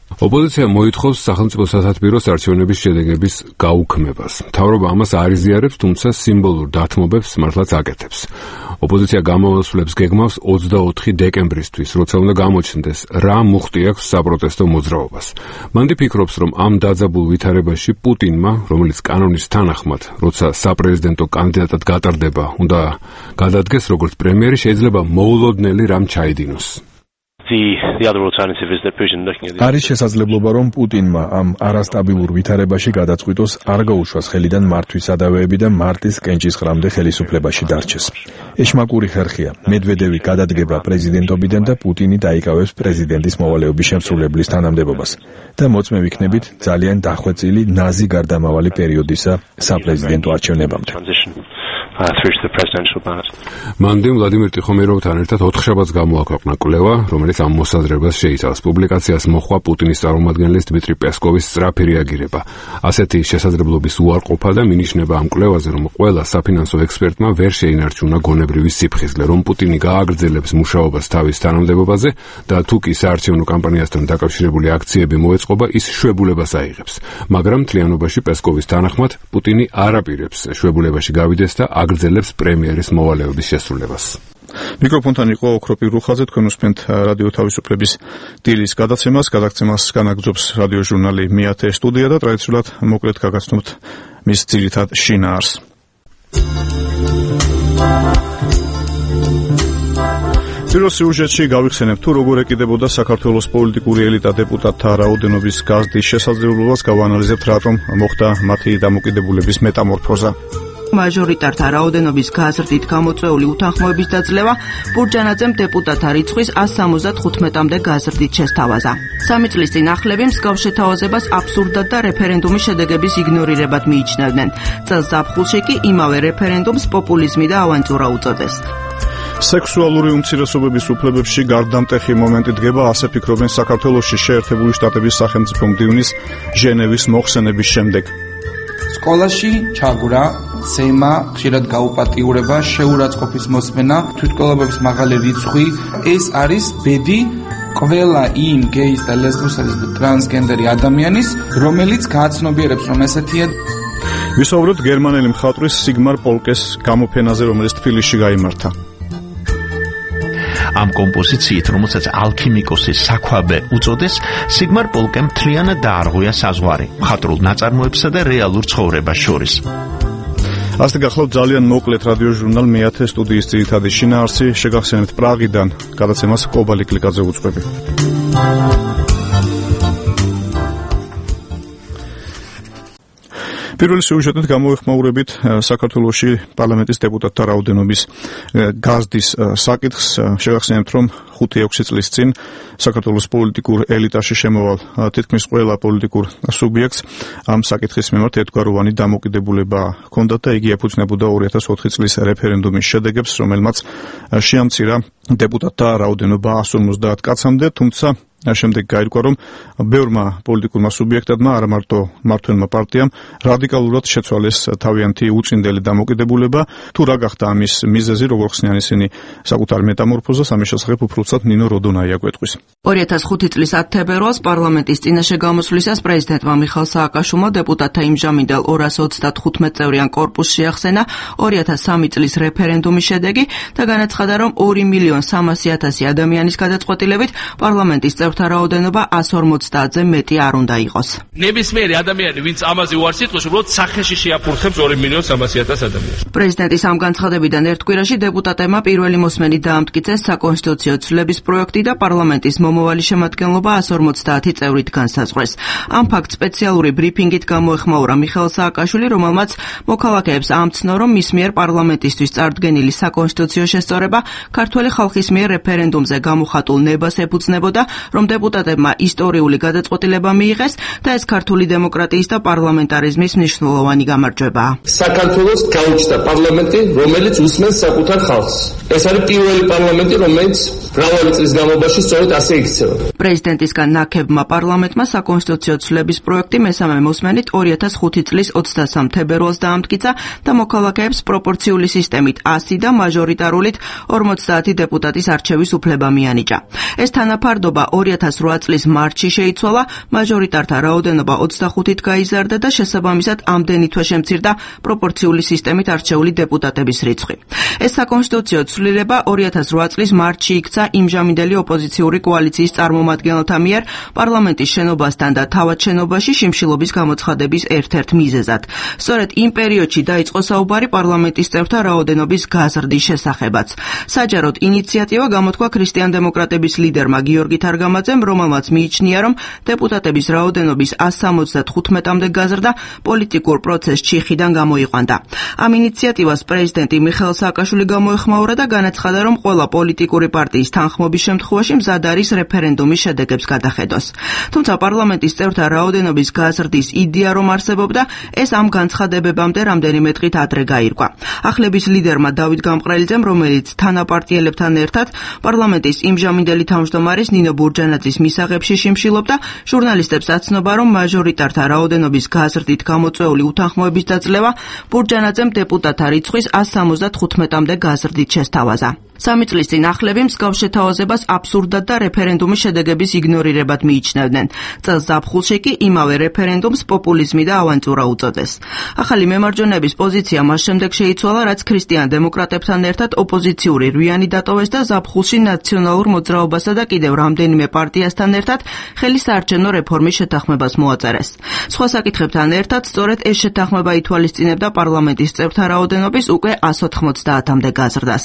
ოპოზიცია მოითხოვს სახელმწიფო სათათბიროს არჩევნების შედეგების გაუქმებას. მთავრობა ამას არ იზიარებს, თუმცა სიმბოლურ დათმობებს მართლაც აკეთებს. ოპოზიცია გამოსვლებს გეგმავს 24 დეკემბრისთვის, როცა უნდა გამოჩნდეს, რა მუხტი აქვს საპროტესტო მოძრაობას. მანდი ფიქრობს, რომ ამ დაძაბულ ვითარებაში პუტინმა, რომელიც კანონის თანახმად, როცა საპრეზიდენტო კანდიდატად გატარდება, უნდა გადადგეს როგორც პრემიერი, შეიძლება მოულოდნელი რამ ჩაიდინოს. არის შესაძლებლობა, რომ პუტინმა ამ არასტაბილურ ვითარებაში გადაწყვიტოს არ გაუშვას ხელიდან მართვის სადავეები და მარტის კენჭისყრამდე ხელისუფლებაში დარჩეს. ეშმაკური ხერხია. მედვედევი გადადგება პრეზიდენტობიდან და პუტინი დაიკავებს პრეზიდენტის მოვალეობის შემსრულებლის თანამდებობას და მოწმე ვიქნებით ძალიან დახვეწილი ნაზი გარდამავალი პერიოდისა საპრეზიდენტო არჩევნებამდე. through to the presidential ballot. მანდი ვლადიმერ ტიხომიროვთან ერთად 4 შაბათს გამოაქვეყნა კვლევა, რომელიც ამ მოსაზრებას შეიცავს. პუბლიკაციას მოჰყვა პუტინის წარმომადგენლის დმიტრი პესკოვის სწრაფი რეაგირება. ასეთი შესაძლებლობის უარყოფა და მინიშნება ამ კვლევაზე, რომ ყველა საფინანსო ექსპერტმა ვერ შეინარჩუნა გონებრივი სიფხიზლე, რომ პუტინი გააგრძელებს მუშაობას თავის თანამდებობაზე და თუ კი საარჩევნო კამპანიასთან დაკავშირებული აქციები მოეწყობა, ის შვებულებას აიღებს. მაგრამ მთლიანობაში პესკოვის თანახმად პუტინი არ აპირებს შვებულებაში გავიდეს და აგრძელებს პრემიერის მოვალეობის შესრულებას. მიკროფონთან იყო ოქროპი რუხაძე, თქვენ უსმენთ რადიო თავისუფლების დილის გადაცემას. გადაცემას განაგრძობს რადიო ჟურნალი მეათე სტუდია და ტრადიციულად მოკლედ გაგაცნობთ მის ძირითად შინაარსს. პირველ სიუჟეტში გავიხსენებთ, თუ როგორ ეკიდებოდა საქართველოს პოლიტიკური ელიტა დეპუტატთა რაოდენობის გაზრდის შესაძლებლობას, გავანალიზებთ, რატომ მოხდა მათი დამოკიდებულების მეტამორფოზა. მაჟორიტართა რაოდენობის გაზრდით გამოწვეული უთანხმოების დაძლევა ბურჯანაძემ დეპუტატთა რიცხვის 175-მდე გაზრდით შესთავაზა. 3 წლის წინ ახლები მსგავს შეთავაზებას აბსურდად და რეფერენდუმის შედეგების იგნორირებად მიიჩნევდნენ. წელს ზაფხულში კი იმავე რეფერენდუმს პოპულიზმი და ავანტურა უწოდეს. სექსუალური უმცირესობების უფლებებში გარდამტეხი მომენტი დგება, ასე ფიქრობენ საქართველოში შეერთებული შტატების სახელმწიფო მდივნის ჟენევის მოხსენების შემდეგ. სკოლაში ჩაგვრა, ზემა, ხშირად გაუპატიურება, შეურაცხყოფის მოსმენა, თვითმკვლელობების მაღალი რიცხვი, ეს არის ბედი ყველა იმ გეის და ლესბოსების და ტრანსგენდერი ადამიანის, რომელიც გააცნობიერებს, რომ ესეთია. ვისაუბრებთ გერმანელი მხატვრის სიგმარ პოლკეს გამოფენაზე, რომელიც თბილისში გაიმართა. ამ კომპოზიციით, რომელსაც ალქიმიკოსის საქვაბე უწოდეს, სიგმარ პოლკემ მთლიანად დაარღვია საზღვარი მხატვრულ ნაწარმოებსა და რეალურ ცხოვრებას შორის. ასე გახლავთ ძალიან მოკლედ რადიო ჟურნალ მეათე სტუდიის ძირითადი შინაარსი, შეგახსენებთ პრაღიდან, გადაცემას კობალი კლიკაძე უწყები. პირველი სიუჟეტით გამოვეხმაურებით საქართველოში პარლამენტის დეპუტატთა რაოდენობის გაზრდის საკითხს. შეგახსენებთ, რომ 5-6 წლის წინ საქართველოს პოლიტიკურ ელიტაში შემოვალ თითქმის ყველა პოლიტიკურ სუბიექტს ამ საკითხის მიმართ ერთგვაროვანი დამოკიდებულება ჰქონდათ და იგი ეფუძნებოდა 2004 წლის რეფერენდუმის შედეგებს, რომელმაც შეამცირა დეპუტატთა რაოდენობა 150 კაცამდე, თუმცა შემდეგ გაირკვა, რომ ბევრმა პოლიტიკურმა სუბიექტებმა, არა მარტო მმართველმა პარტიამ, რადიკალურად შეცვალეს თავიანთი უწინდელი დამოკიდებულება. თუ რა გახდა ამის მიზეზი, როგორ ხსნიან ისინი საკუთარ მეტამორფოზას, ამის შესახებ უფროსად ნინო როდონაია გვეტყვის. 2005 წლის 10 თებერვალს პარლამენტის წინაშე გამოსვლისას პრეზიდენტმა მიხაილ სააკაშვილმა დეპუტატთა იმჟამინდელ 235 წევრიან კორპუსს შეახსენა 2003 წლის რეფერენდუმის შედეგი და განაცხადა, რომ 2.300.000 ადამიანის გადაწყვეტილებით პარლამენტის წევრთა რაოდენობა 150-ზე მეტი არ უნდა იყოს. ნებისმიერი ადამიანი, ვინც ამაზე უარს იტყვის, უბრალოდ სახეში შეაფურხებს 2.300.000 ადამიანს. პრეზიდენტის ამ განცხადებიდან ერთ კვირაში დეპუტატებმა პირველი მოსმენით დაამტკიცეს საკონსტიტუციო ცვლილების პროექტი და პარლამენტის მომავალი შემადგენლობა 150 წევრით განსაზღვრეს. ამ ფაქტს სპეციალური ბრიფინგით გამოეხმაურა მიხაილ სააკაშვილი, რომელმაც მოქალაქეებს ამცნო, რომ მის მიერ პარლამენტისთვის წარდგენილი საკონსტიტუციო შესწორება ქართველი ხალხის მიერ რეფერენდუმზე გამოხატულ ნებას ეფუძნებოდა, რომ დეპუტატებმა ისტორიული გადაწყვეტილება მიიღეს და ეს ქართული დემოკრატიის და პარლამენტარიზმის მნიშვნელოვანი გამარჯვებაა. საქართველოს გაუჩნდა პარლამენტი, რომელიც უსმენს საკუთარ ხალხს. ეს არის პირველი პარლამენტი, რომელიც მრავალი წლის განმავლობაში სწორედ ასე იქცევა. პრეზიდენტისგან ნაქებმა პარლამენტმა საკონსტიტუციო ცვლილების პროექტი მესამე მოსმენით 2005 წლის 23 თებერვალს დაამტკიცა და მოქალაქეებს პროპორციული სისტემით 100 და მაჟორიტარულით 50 დეპუტატის არჩევის უფლება მიანიჭა. ეს თანაფარდობა 2008 წლის მარტში შეიცვალა, მაჟორიტართა რაოდენობა 25-ით გაიზარდა და შესაბამისად ამდენი თვე შემცირდა პროპორციული სისტემით არჩეული დეპუტატების რიცხვი. ეს საკონსტიტუციო ცვლილება 2008 წლის მარტში იქცა იმჟამინდელი ოპოზიციური კოალიციის წარმომადგენელთა მიერ პარლამენტის შენობასთან და თავად შენობაში შიმშილობის გამოცხადების ერთ-ერთ მიზეზად. სწორედ იმ პერიოდში დაიწყო საუბარი პარლამენტის წევრთა რაოდენობის გაზრდის შესახებაც. საჯაროდ ინიციატივა გამოთქვა ქრისტიან-დემოკრატების ლიდერმა გიორგი თარგამაძემ სილამაძემ, რომელმაც მიიჩნია, რომ დეპუტატების რაოდენობის 175-მდე გაზრდა პოლიტიკურ პროცესს ჩიხიდან გამოიყვანდა. ამ ინიციატივას პრეზიდენტი მიხეილ სააკაშვილი გამოეხმაურა და განაცხადა, რომ ყველა პოლიტიკური პარტიის თანხმობის შემთხვევაში მზად არის რეფერენდუმის შედეგებს გადახედოს. თუმცა პარლამენტის წევრთა რაოდენობის გაზრდის იდეა რომ არსებობდა, ეს ამ განცხადებებამდე რამდენიმე დღით ადრე გაირკვა. ახლების ლიდერმა დავით გამყრელიძემ, რომელიც თანაპარტიელებთან ერთად პარლამენტის იმჟამინდელი თავმჯდომარის ნინო ბურჯანაძის მისაღებში შიმშილობდა, ჟურნალისტებს აცნობა, რომ მაჟორიტართა რაოდენობის გაზრდით გამოწვეული უთანხმოების დაძლევა ბურჯანაძემ დეპუტატთა რიცხვის 175-მდე გაზრდით შესთავაზა. 3 წლის წინ ახლები მსგავს შეთავაზებას აბსურდად და რეფერენდუმის შედეგების იგნორირებად მიიჩნევდნენ. წელს ზაფხულში კი იმავე რეფერენდუმს პოპულიზმი და ავანტურა უწოდეს. ახალი მემარჯვენეების პოზიცია მას შემდეგ შეიცვალა, რაც ქრისტიან დემოკრატებთან ერთად ოპოზიციური რვიანი დატოვეს და ზაფხულში ნაციონალურ მოძრაობასა და კიდევ რამდენიმე პარტიასთან ერთად ხელი საარჩევნო რეფორმის შეთანხმებას მოაწერეს. სხვა საკითხებთან ერთად სწორედ ეს შეთანხმება ითვალისწინებდა პარლამენტის წევრთა რაოდენობის უკვე 190-მდე გაზრდას.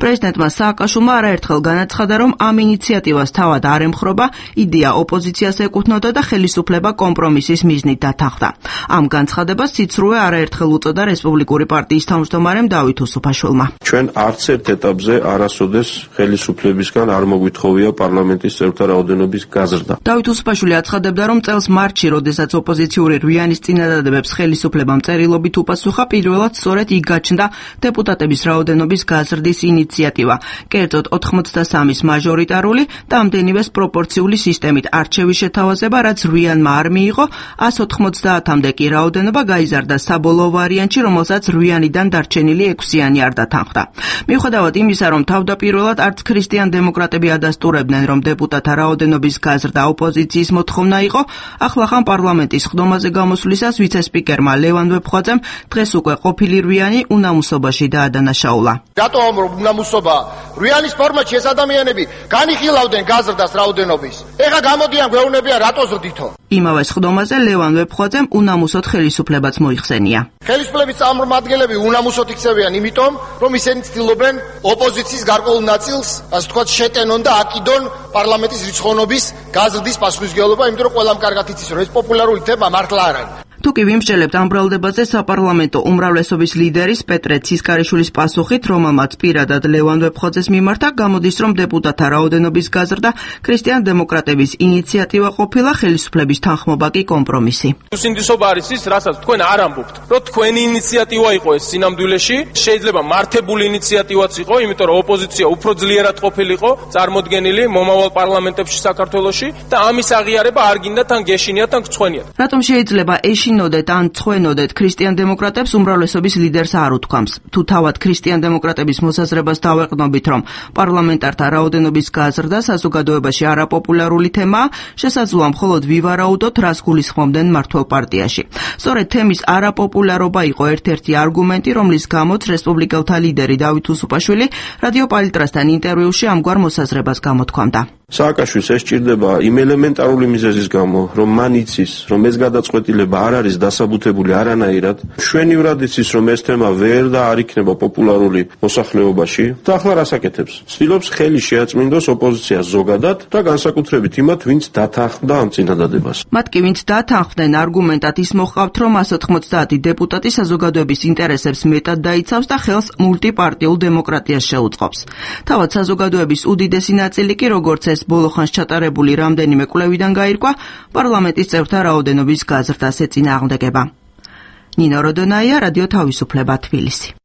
პრეზიდენტმა სააკაშვილმა არაერთხელ განაცხადა, რომ ამ ინიციატივას თავად არ ემხრობა, იდეა ოპოზიციას ეკუთვნოდა და ხელისუფლება კომპრომისის მიზნით დათანხმდა. ამ განცხადებას სიცრუე არაერთხელ უწოდა რესპუბლიკური პარტიის თავმჯდომარემ დავით უსუფაშვილმა. ჩვენ არც ერთ ეტაპზე არასოდეს ხელისუფლებისგან არ მოგვითხოვია პარლამენტის წევრთა რაოდენობის გაზრდა. დავით უსუფაშვილი აცხადებდა, რომ წელს მარტში, როდესაც ოპოზიციური რვიანის წინადადებებს ხელისუფლებამ წერილობით უპასუხა, პირველად სწორედ იქ გაჩნდა დეპუტატების რაოდენობის გაზრდის ინიციატივა. კერძოდ 83-ის მაჟორიტარული და ამდენივეს პროპორციული სისტემით არჩევის შეთავაზება, რაც რვიანმა არ მიიღო, 190-მდე კი რაოდენობა გაიზარდა საბოლოო ვარიანტში, რომელსაც რვიანიდან დარჩენილი 6-იანი არ დათანხმდა. მიუხედავად იმისა, რომ თავდაპირველად არც ქრისტიან დემოკრატები ადასტურებდნენ, რომ დეპუტატთა რაოდენობის გაზრდა ოპოზიციის მოთხოვნა იყო, ახლახან პარლამენტის ხდომაზე გამოსვლისას ვიცე-სპიკერმა ლევან ვეფხვაძემ დღეს უკვე ყოფილი რვიანი უნამუსობაში დაადანაშაულა. რატომ რომ უნამუსობა რვიანის ფორმატში ეს ადამიანები განიხილავდნენ გაზრდას რაოდენობის. ეხა გამოდიან გვეუბნებიან რატო ზრდითო. იმავე ხდომაზე ლევან ვეფხვაძემ უნამუსოდ ხელისუფლებაც მოიხსენია. ხელისუფლების წარმომადგენლები უნამუსოდ იქცევიან, იმიტომ რომ ისინი ცდილობენ ოპოზიციის გარკვეულ ნაწილს, ასე ვთქვათ, შეტენონ და აკიდონ პარლამენტის რიცხოვნობის გაზრდის პასუხისმგებლობა, იმიტომ რომ ყველამ კარგად იცის, რომ ეს პოპულარული თემა მართლა არ არის. თუკი ვიმსჯელებთ ამ ბრალდებაზე საპარლამენტო უმრავლესობის ლიდერის პეტრე ცისკარიშვილის პასუხით, რომელმაც პირადად ლევან ვეფხვაძეს მიმართა, გამოდის, რომ დეპუტატთა რაოდენობის გაზრდა ქრისტიან დემოკრატების ინიციატივა ყოფილა, ხელისუფლების თანხმობა კი კომპრომისი. უსინდისობა არის ის, რასაც თქვენ არ ამბობთ, რომ თქვენი ინიციატივა იყო ეს სინამდვილეში, შეიძლება მართებული ინიციატივაც იყო, იმიტომ რომ ოპოზიცია უფრო ძლიერად ყოფილიყო წარმოდგენილი მომავალ პარლამენტებში საქართველოში და ამის აღიარება არ გინდათ ან გეშინიათ ან გწვენიათ. რატომ შეიძლება ეშინოდეთ ან წვენოდეთ ქრისტიან დემოკრატებს უმრავლესობის ლიდერს არ უთქვამს. თუ თავად ქრისტიან დემოკრატების მოსაზრებას დავეყნობით, რომ პარლამენტართა რაოდენობის გაზრდა საზოგადოებაში არაპოპულარული თემაა, შესაძლოა მხოლოდ ვივარაუდოთ, რას გულისხმობდნენ მმართველ პარტიაში. სწორედ თემის არაპოპულარობა იყო ერთ-ერთი არგუმენტი, რომლის გამოც რესპუბლიკელთა ლიდერი დავით უსუფაშვილი რადიო პალიტრასთან ინტერვიუში ამგვარ მოსაზრებას გამოთქვამდა. სააკაშვილს ეს სჭირდება იმ ელემენტარული მიზეზის გამო, რომ მან იცის, რომ ეს გადაწყვეტილება არ არის დასაბუთებული არანაირად, შვენივრად იცის, რომ ეს თემა ვერ და არ იქნება პოპულარული მოსახლეობაში და ახლა რას აკეთებს? ცდილობს ხელი შეაწმინდოს ოპოზიციას ზოგადად და განსაკუთრებით იმათ, ვინც დათანხმდა ამ წინადადებას. მათ კი ვინც დათანხმდნენ არგუმენტად ის მოჰყავთ, რომ 190 დეპუტატი საზოგადოების ინტერესებს მეტად დაიცავს და ხელს მულტიპარტიულ დემოკრატიას შეუწყობს. თავად საზოგადოების უდიდესი ნაწილი კი, როგორც ეს ბოლოხანს ჩატარებული რამდენიმე კვლევიდან გაირკვა, პარლამენტის წევრთა რაოდენობის გაზრდას ეწინააღმდეგება. ნინო როდონაია, რადიო თავისუფლება, თბილისი.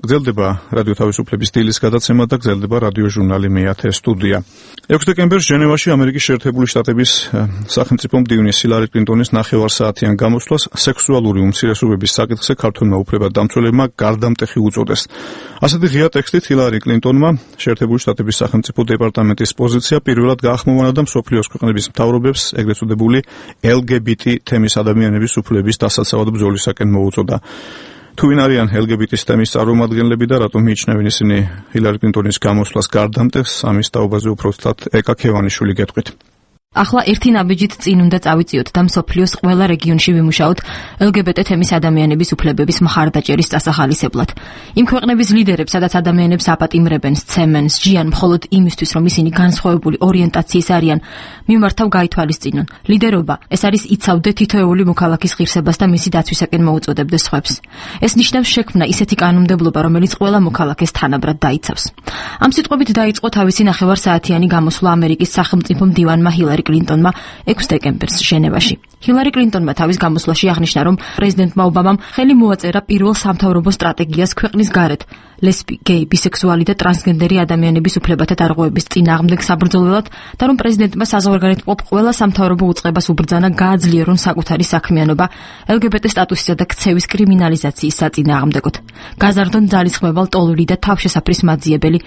გრძელდება რადიო თავისუფლების დილის გადაცემა და გრძელდება რადიო ჟურნალი მე-10 სტუდია. 6 დეკემბერს ჟენევაში ამერიკის შეერთებული შტატების სახელმწიფო მდივნის ჰილარი კლინტონის ნახევარსაათიან გამოსვლას სექსუალური უმცირესობების საკითხზე ქართველმა უფლებადამცველებმა გარდამტეხი უწოდეს. ასეთი ღია ტექსტით ჰილარი კლინტონმა შეერთებული შტატების სახელმწიფო დეპარტამენტის პოზიცია პირველად გაახმოვანა და მსოფლიოს ქვეყნების მთავრობებს ეგრეთ წოდებული LGBT თემის ადამიანების უფლებების დასაცავად ბრძოლისაკენ მოუწოდა. თუ ვინ არიან LGBT-ის თემის წარმომადგენლები და რატომ მიიჩნევენ ისინი ჰილარი კლინტონის გამოსვლას გარდამტეხს, ამის თაობაზე უფრო ცუდად ეკა ქევანიშვილი გეტყვით. ახლა ერთი ნაბიჯით წინ უნდა წავიწიოთ და მსოფლიოს ყველა რეგიონში ვიმუშაოთ LGBT თემის ადამიანების უფლებების მხარდაჭერის წასახალისებლად. იმ ქვეყნების ლიდერებს, სადაც ადამიანებს აპატიმრებენ, სცემენ, სჯიან მხოლოდ იმისთვის, რომ ისინი განსხვავებული ორიენტაციის არიან, მიმართავ გაითვალისწინონ. ლიდერობა ეს არის იცავდე თითოეული მოქალაქის ღირსებას და მისი დაცვისაკენ მოუწოდებდეს სხვებს. ეს ნიშნავს შექმნა ისეთი კანონმდებლობა, რომელიც ყველა მოქალაქეს თანაბრად დაიცავს. ამ სიტყვებით დაიწყო თავისი ნახევარსაათიანი გამოსვლა ამერიკის სახელმწიფო მდივანმა ჰილარი კლინტონმა 6 დეკემბერს ჟენევაში. ჰილარი კლინტონმა თავის გამოსვლაში აღნიშნა, რომ პრეზიდენტმა ობამამ ხელი მოაწერა პირველ სამთავრობო სტრატეგიას ქვეყნის გარეთ ლესბი, გეი, ბისექსუალი და ტრანსგენდერი ადამიანების უფლებათა დარღვევების წინააღმდეგ საბრძოლველად და რომ პრეზიდენტმა საზღვარგარეთმყოფ ყველა სამთავრობო უწყებას უბრძანა გააძლიერონ საკუთარი საქმიანობა LGBT სტატუსისა და ქცევის კრიმინალიზაციის საწინააღმდეგოდ. გაზარდონ ძალისხმევა ლტოლვილი და თავშესაფრის მაძიებელი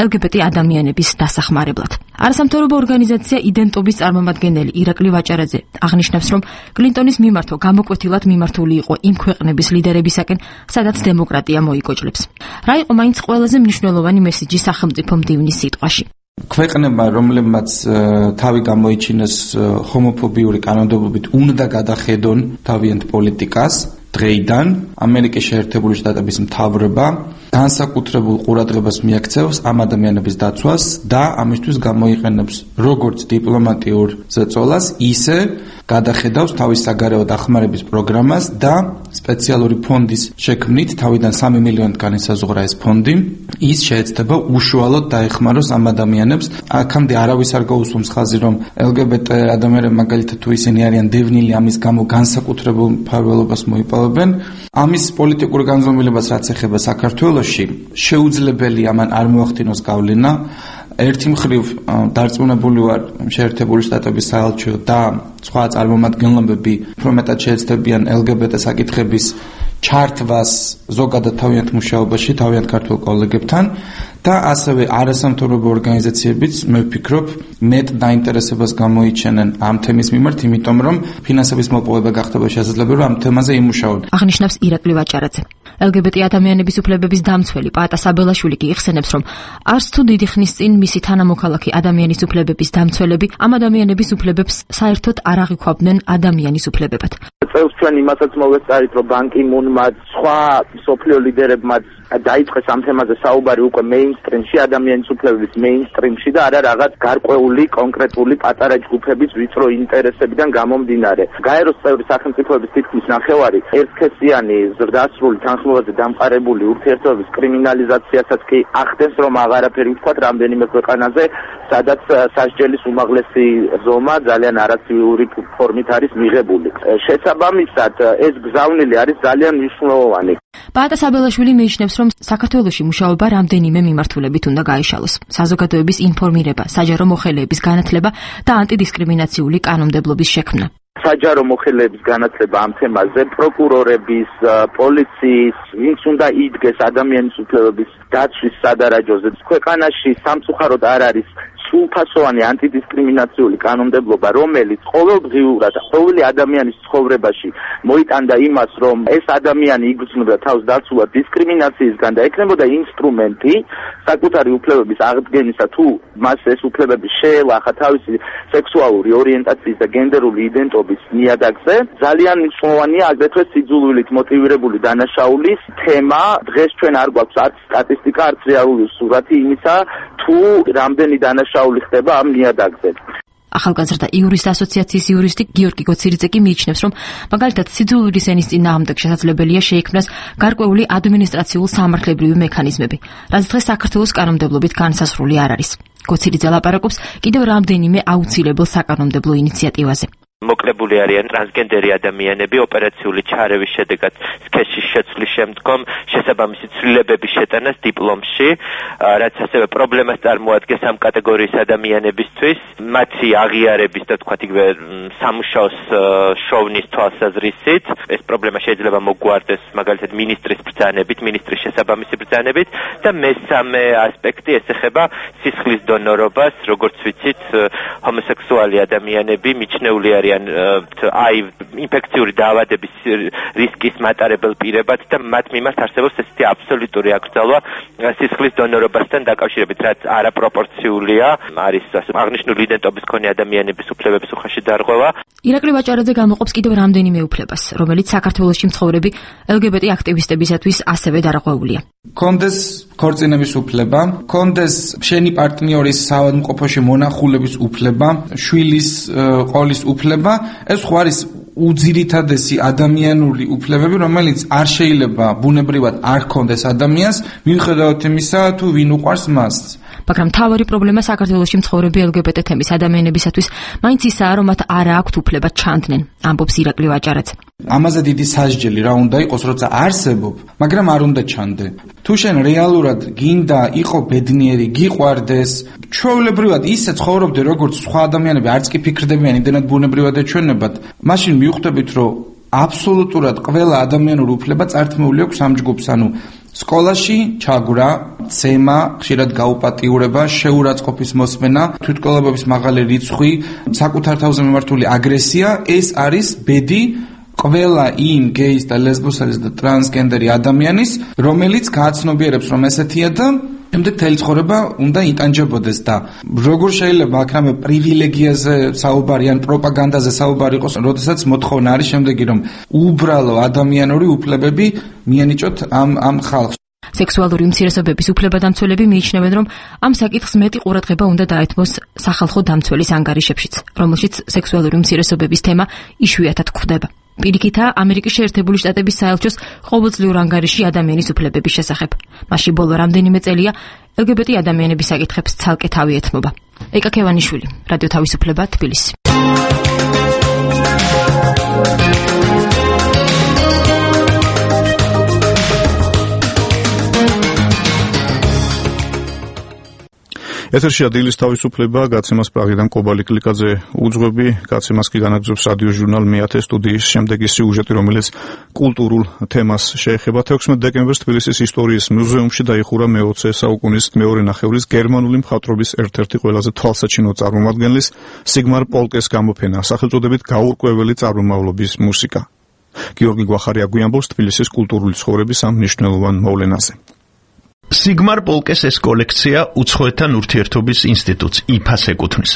LGBT ადამიანების დასახმარებლად. არასამთავრობო ორგანიზაცია იდენტობის წარმომადგენელი ირაკლი ვაჭარაძე აღნიშნავს, რომ კლინტონის მიმართვა გამოკვეთილად მიმართული იყო იმ ქვეყნების ლიდერებისაკენ, სადაც დემოკრატია მოიკოჭლებს. რა იყო მაინც ყველაზე მნიშვნელოვანი მესიჯი სახელმწიფო მდივნის სიტყვაში? ქვეყნება, რომლებმაც თავი გამოიჩინეს ჰომოფობიური კანონმდებლობით, უნდა გადახედონ თავიანთ პოლიტიკას. დღეიდან ამერიკის შეერთებული შტატების მთავრობა განსაკუთრებულ ყურადღებას მიაქცევს ამ ადამიანების დაცვას და ამისთვის გამოიყენებს როგორც დიპლომატიურ ზეწოლას, ისე გადახედავს თავის საგარეო დახმარების პროგრამას და სპეციალური ფონდის შექმნით, თავიდან 3 მილიონიდან ესაზღვრა ეს ფონდი, ის შეეცდება უშუალოდ დაეხმაროს ამ ადამიანებს. აქამდე არავის არ გაუსვამს ხაზი, რომ LGBT ადამიანები მაგალითად თუ ისინი არიან დევნილი, ამის გამო განსაკუთრებულ მფარველობას მოიპოვებენ. ამის პოლიტიკურ განზომილებას რაც ეხება საქართველოში, შეუძლებელია მან არ მოახდინოს გავლენა. ერთი მხრივ დარწმუნებული ვარ, შეერთებული შტატების საელჩო და სხვა წარმომადგენლები უფრო მეტად შეეცდებიან LGBT საკითხების ჩართვას ზოგადად თავიანთ მუშაობაში, თავიანთ ქართულ კოლეგებთან და ასევე არასამთავრობო ორგანიზაციებიც მე ვფიქრობ მეტ დაინტერესებას გამოიჩენენ ამ თემის მიმართ, იმიტომ რომ ფინანსების მოპოვება გახდება შესაძლებელი, რომ ამ თემაზე იმუშაონ. აღნიშნავს ირაკლი ვაჭარაძე. LGBT ადამიანების უფლებების დამცველი პაატა საბელაშვილი კი იხსენებს, რომ არც თუ დიდი ხნის წინ მისი თანამოქალაქი ადამიანის უფლებების დამცველები ამ ადამიანების უფლებებს საერთოდ არ აღიქვამდნენ ადამიანის უფლებებად. წელს ჩვენ იმასაც მოვეწარით, რომ ბან კი მუნმაც სხვა სოფლიო ლიდერებმაც დაიწყეს ამ თემაზე საუბარი უკვე მეინსტრიმში, ადამიანის უფლებების მეინსტრიმში და არა რაღაც გარკვეული კონკრეტული პატარა ჯგუფების ვიწრო ინტერესებიდან გამომდინარე. გაეროს წევრი სახელმწიფოების თითქმის ნახევარი ერთქესიანი ზრდასრული თანხმობაზე დამყარებული ურთიერთობების კრიმინალიზაციასაც კი ახდენს, რომ აღარაფერი ვთქვათ რამდენიმე ქვეყანაზე, სადაც სასჯელის უმაღლესი ზომა ძალიან არაცივიური ფორმით არის მიღებული. შესაბამისად, ეს გზავნილი არის ძალიან მნიშვნელოვანი. პაატა საბელაშვილი მიიჩნევს, რომ საქართველოში მუშაობა რამდენიმე მიმართულებით უნდა გაიშალოს. საზოგადოების ინფორმირება, საჯარო მოხელეების განათლება და ანტიდისკრიმინაციული კანონმდებლობის შექმნა. საჯარო მოხელეების განათლება ამ თემაზე, პროკურორების, პოლიციის, ვინც უნდა იდგეს ადამიანის უფლებების დაცვის სადარაჯოზე. ქვეყანაში სამწუხაროდ არ არის სრულფასოვანი ანტიდისკრიმინაციული კანონმდებლობა, რომელიც ყოველდღიურად ყოველი ადამიანის ცხოვრებაში მოიტანდა იმას, რომ ეს ადამიანი იგრძნობდა თავს დაცულად დისკრიმინაციისგან და ექნებოდა ინსტრუმენტი საკუთარი უფლებების აღდგენისა, თუ მას ეს უფლებები შეელახა თავისი სექსუალური ორიენტაციის და გენდერული იდენტობის ნიადაგზე. ძალიან მნიშვნელოვანია აგრეთვე სიძულვილით მოტივირებული დანაშაულის თემა. დღეს ჩვენ არ გვაქვს არც სტატისტიკა, არც რეალური სურათი იმისა, თუ რამდენი დანაშაული ხდება ამ ნიადაგზე. ახალგაზრდა იურისტ ასოციაციის იურისტი გიორგი გოცირიძე კი მიიჩნევს, რომ მაგალითად სიძულვილის ენის წინააღმდეგ შესაძლებელია შეიქმნას გარკვეული ადმინისტრაციულ სამართლებრივი მექანიზმები, რაც დღეს საქართველოს კანონმდებლობით განსაზღვრული არ არის. გოცირიძე ლაპარაკობს კიდევ რამდენიმე აუცილებელ საკანონმდებლო ინიციატივაზე. მოკლებული არიან ტრანსგენდერი ადამიანები ოპერაციული ჩარევის შედეგად სქესის შეცვლის შემდგომ შესაბამისი ცვლილებების შეტანას დიპლომში, რაც ასევე პრობლემას წარმოადგენს ამ კატეგორიის ადამიანებისთვის, მათი აღიარების და თქვათ იგივე სამუშაოს შოვნის თვალსაზრისით. ეს პრობლემა შეიძლება მოგვარდეს მაგალითად მინისტრის ბრძანებით, მინისტრის შესაბამისი ბრძანებით და მესამე ასპექტი ეს ეხება სისხლის დონორობას, როგორც ვიცით, ჰომოსექსუალი ადამიანები მიჩნეული არიან არიან აი ინფექციური დაავადების რისკის მატარებელ პირებად და მათ მიმართ არსებობს ესეთი აბსოლუტური აკრძალვა სისხლის დონორობასთან დაკავშირებით, რაც არაპროპორციულია, არის აღნიშნული იდენტობის მქონე ადამიანების უფლებების უხეში დარღვევა. ირაკლი ვაჭარაძე გამოყოფს კიდევ რამდენიმე უფლებას, რომელიც საქართველოში მცხოვრები LGBT აქტივისტებისათვის ასევე დარღვეულია. კონდეს ქორწინების უფლება, კონდეს შენი პარტნიორის საავადმყოფოში მონახულების უფლება, შვილის ყოლის უფლება, ეს ხო არის უძირითადესი ადამიანური უფლებები, რომელიც არ შეიძლება ბუნებრივად არ ჰქონდეს ადამიანს, მიუხედავად იმისა, თუ ვინ უყვარს მას. მაგრამ მთავარი პრობლემა საქართველოში მცხოვრები LGBT თემის ადამიანებისათვის მაინც ისაა, რომ მათ არ აქვთ უფლება ჩანდნენ, ამბობს ირაკლი ვაჭარაძე. ამაზე დიდი სასჯელი რა უნდა იყოს, როცა არსებობ, მაგრამ არ უნდა ჩანდე. თუ შენ რეალურად გინდა იყო ბედნიერი, გიყვარდეს, ჩვეულებრივად ისე ცხოვრობდე, როგორც სხვა ადამიანები, არც კი ფიქრდებიან იმდენად ბუნებრივად ეჩვენებათ, მაშინ მიხვდებით, რომ აბსოლუტურად ყველა ადამიანური უფლება წართმეული აქვს ამ ჯგუფს, ანუ სკოლაში ჩაგვრა, ცემა, ხშირად გაუპატიურება, შეურაცხყოფის მოსმენა, თვითმკვლელობების მაღალი რიცხვი, საკუთარ თავზე მიმართული აგრესია, ეს არის ბედი ყველა იმ გეის და ლესბოსელის და ტრანსგენდერი ადამიანის, რომელიც გააცნობიერებს, რომ ესეთია და ემდე თელი ცხოვრება უნდა იტანჯებოდეს და როგორ შეიძლება აქ პრივილეგიაზე საუბარი ან პროპაგანდაზე საუბარი იყოს, როდესაც მოთხოვნა არის შემდეგი, რომ უბრალო ადამიანური უფლებები მიენიჭოთ ამ ხალხს. სექსუალური უმცირესობების უფლებადამცველები მიიჩნევენ, რომ ამ საკითხს მეტი ყურადღება უნდა დაეთმოს სახალხო დამცველის ანგარიშებშიც, რომელშიც სექსუალური უმცირესობების თემა იშვიათად გვხვდება. პირიქითაა ამერიკის შეერთებული შტატების საელჩოს ყოველწლიურ ანგარიში ადამიანის უფლებების შესახებ. მასში ბოლო რამდენიმე წელია LGBT ადამიანების საკითხებს ცალკე თავი ეთმობა. ეკა ქევანიშვილი, რადიო თავისუფლება, თბილისი. ეთერშია დილის თავისუფლება, გაცემას პრაღიდან კობალი კლიკაძე უძღვები, გაცემას კი განაგრძობს რადიო ჟურნალ მეათე სტუდიის შემდეგი სიუჟეტი, რომელიც კულტურულ თემას შეეხება. 16 დეკემბერს თბილისის ისტორიის მუზეუმში დაიხურა მე-20 საუკუნის მეორე ნახევრის გერმანული მხატვრობის ერთ-ერთი ყველაზე თვალსაჩინო წარმომადგენლის სიგმარ პოლკეს გამოფენა, სახელწოდებით გაურკვეველი წარმომავლობის მუსიკა. გიორგი გვახარია გვიამბობს თბილისის კულტურული ცხოვრების ამ მნიშვნელოვან მოვლენაზე. სიგმარ პოლკეს ეს კოლექცია უცხოეთთან ურთიერთობის ინსტიტუტს IFAS ეკუთვნის.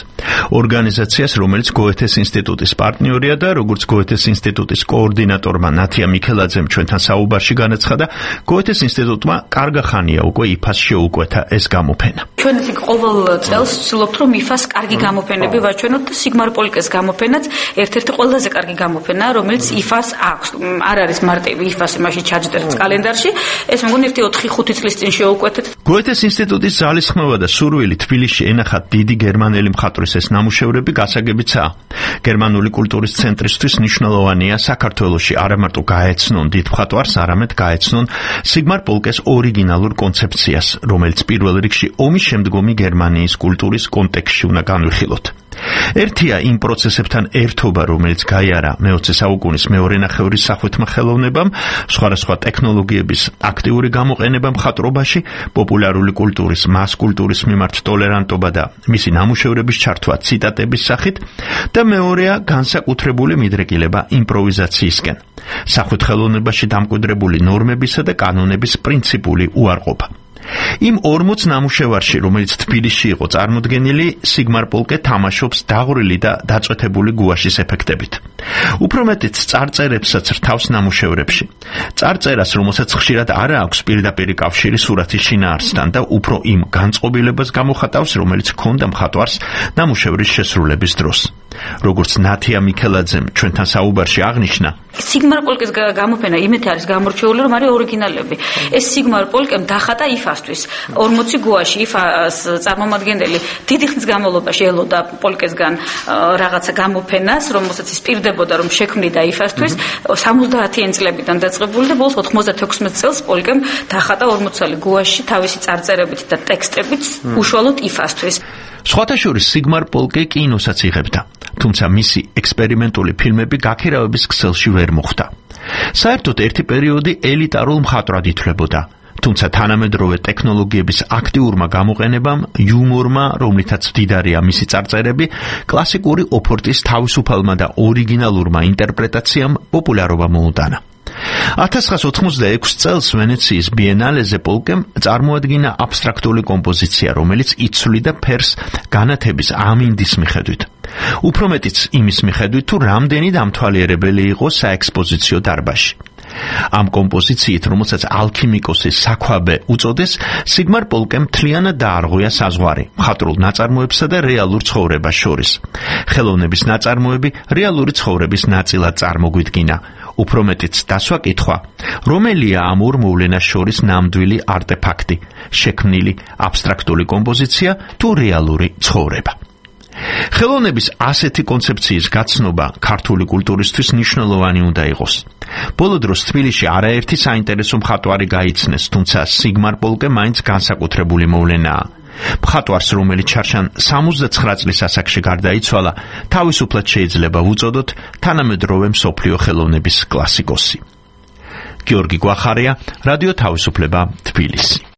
ორგანიზაციას, რომელიც გოეთეს ინსტიტუტის პარტნიორია და როგორც გოეთეს ინსტიტუტის კოორდინატორმა ნათია მიქელაძემ ჩვენთან საუბარში განაცხადა, გოეთეს ინსტიტუტმა კარგა ხანია უკვე IFAS შეუკვეთა ეს გამოფენა. ჩვენ ისე ყოველ წელს ვცდილობთ, რომ IFAS კარგი გამოფენები ვაჩვენოთ და სიგმარ პოლკეს გამოფენაც ერთ-ერთი ყველაზე კარგი გამოფენაა, რომელიც IFAS აქვს. არ არის მარტივი IFAS იმაში ჩაჯდეთ კალენდარში, ეს მგონი 4-5 წლის წინ გოეთეს ინსტიტუტის ძალისხმევა და სურვილი თბილისში ენახათ დიდი გერმანელი მხატვრის ეს ნამუშევრები გასაგებიცაა. გერმანული კულტურის ცენტრისთვის მნიშვნელოვანია საქართველოში არა მარტო გაეცნონ დიდ მხატვარს, არამედ გაეცნონ სიგმარ პოლკეს ორიგინალურ კონცეფციას, რომელიც პირველ რიგში ომის შემდგომი გერმანიის კულტურის კონტექსტში უნდა განვიხილოთ. ერთია იმ პროცესებთან ერთობა, რომელიც გაიარა მე-20 საუკუნის მეორე ნახევრის სახვითმა ხელოვნებამ, სხვადასხვა ტექნოლოგიების აქტიური გამოყენება მხატვრობაში, პოპულარული კულტურის, მას კულტურის მიმართ ტოლერანტობა და მისი ნამუშევრების ჩართვა ციტატების სახით და მეორეა განსაკუთრებული მიდრეკილება იმპროვიზაციისკენ. სახვით ხელოვნებაში დამკვიდრებული ნორმებისა და კანონების პრინციპული უარყოფა. იმ 40 ნამუშევარში, რომელიც თბილისში იყო წარმოდგენილი, სიგმარ პოლკე თამაშობს დაღვრილი და დაწვეთებული გუაშის ეფექტებით. უფრო მეტიც წარწერებსაც რთავს ნამუშევრებში. წარწერას, რომელსაც ხშირად არ აქვს პირდაპირი კავშირი სურათის შინაარსთან და უფრო იმ განწყობილებას გამოხატავს, რომელიც ჰქონდა მხატვარს ნამუშევრის შესრულების დროს. როგორც ნათია მიქელაძემ ჩვენთან საუბარში აღნიშნა, სიგმარ პოლკეს გამოფენა იმეთი არის გამორჩეული, რომ არის ორიგინალები. ეს სიგმარ პოლკემ დახატა IFAS-თვის 40 გუაში IFAS წარმომადგენელი დიდი ხნის განმავლობაში ელოდა პოლკესგან რაღაცა გამოფენას, რომელსაც ის პირდებოდა, რომ შექმნიდა IFAS-თვის 70-იან წლებიდან დაწყებული და ბოლოს 96 წელს პოლკემ დახატა 40 გუაში თავისი წარწერებით და ტექსტებით უშუალოდ IFAS-თვის. სხვათა შორის სიგმარ პოლკე კინოსაც იღებდა, თუმცა მისი ექსპერიმენტული ფილმები გაქირავების ქსელში ვერ მოხვდა. საერთოდ ერთი პერიოდი ელიტარულ მხატვრად ითვლებოდა. თუმცა თანამედროვე ტექნოლოგიების აქტიურმა გამოყენებამ, იუმორმა, რომლითაც მდიდარია მისი წარწერები, კლასიკური ოფორტის თავისუფალმა და ორიგინალურმა ინტერპრეტაციამ პოპულარობა მოუტანა. 1986 წელს ვენეციის ბიენალეზე პოლკემ წარმოადგინა აბსტრაქტული კომპოზიცია, რომელიც იცვლიდა ფერს განათების ამინდის მიხედვით. უფრო მეტიც იმის მიხედვით, თუ რამდენი დამთვალიერებელი იყო საექსპოზიციო დარბაზში. ამ კომპოზიციით, რომელსაც ალქიმიკოსის საქვაბე უწოდეს, სიგმარ პოლკემ მთლიანად დაარღვია საზღვარი მხატვრულ ნაწარმოებსა და რეალურ ცხოვრებას შორის. ხელოვნების ნაწარმოები რეალური ცხოვრების ნაწილად წარმოგვიდგინა. უფრო მეტიც დასვა კითხვა, რომელია ამ ორ მოვლენას შორის ნამდვილი არტეფაქტი, შექმნილი აბსტრაქტული კომპოზიცია თუ რეალური ცხოვრება. ხელოვნების ასეთი კონცეფციის გაცნობა ქართული კულტურისთვის მნიშვნელოვანი უნდა იყოს. ბოლო დროს თბილისში არაერთი საინტერესო მხატვარი გაიცნეს, თუმცა სიგმარ პოლკე მაინც განსაკუთრებული მოვლენაა. მხატვარს, რომელიც ჩარშან 79 წლის ასაკში გარდაიცვალა, თავისუფლად შეიძლება ვუწოდოთ თანამედროვე მსოფლიო ხელოვნების კლასიკოსი. გიორგი გვახარია, რადიო თავისუფლება, თბილისი.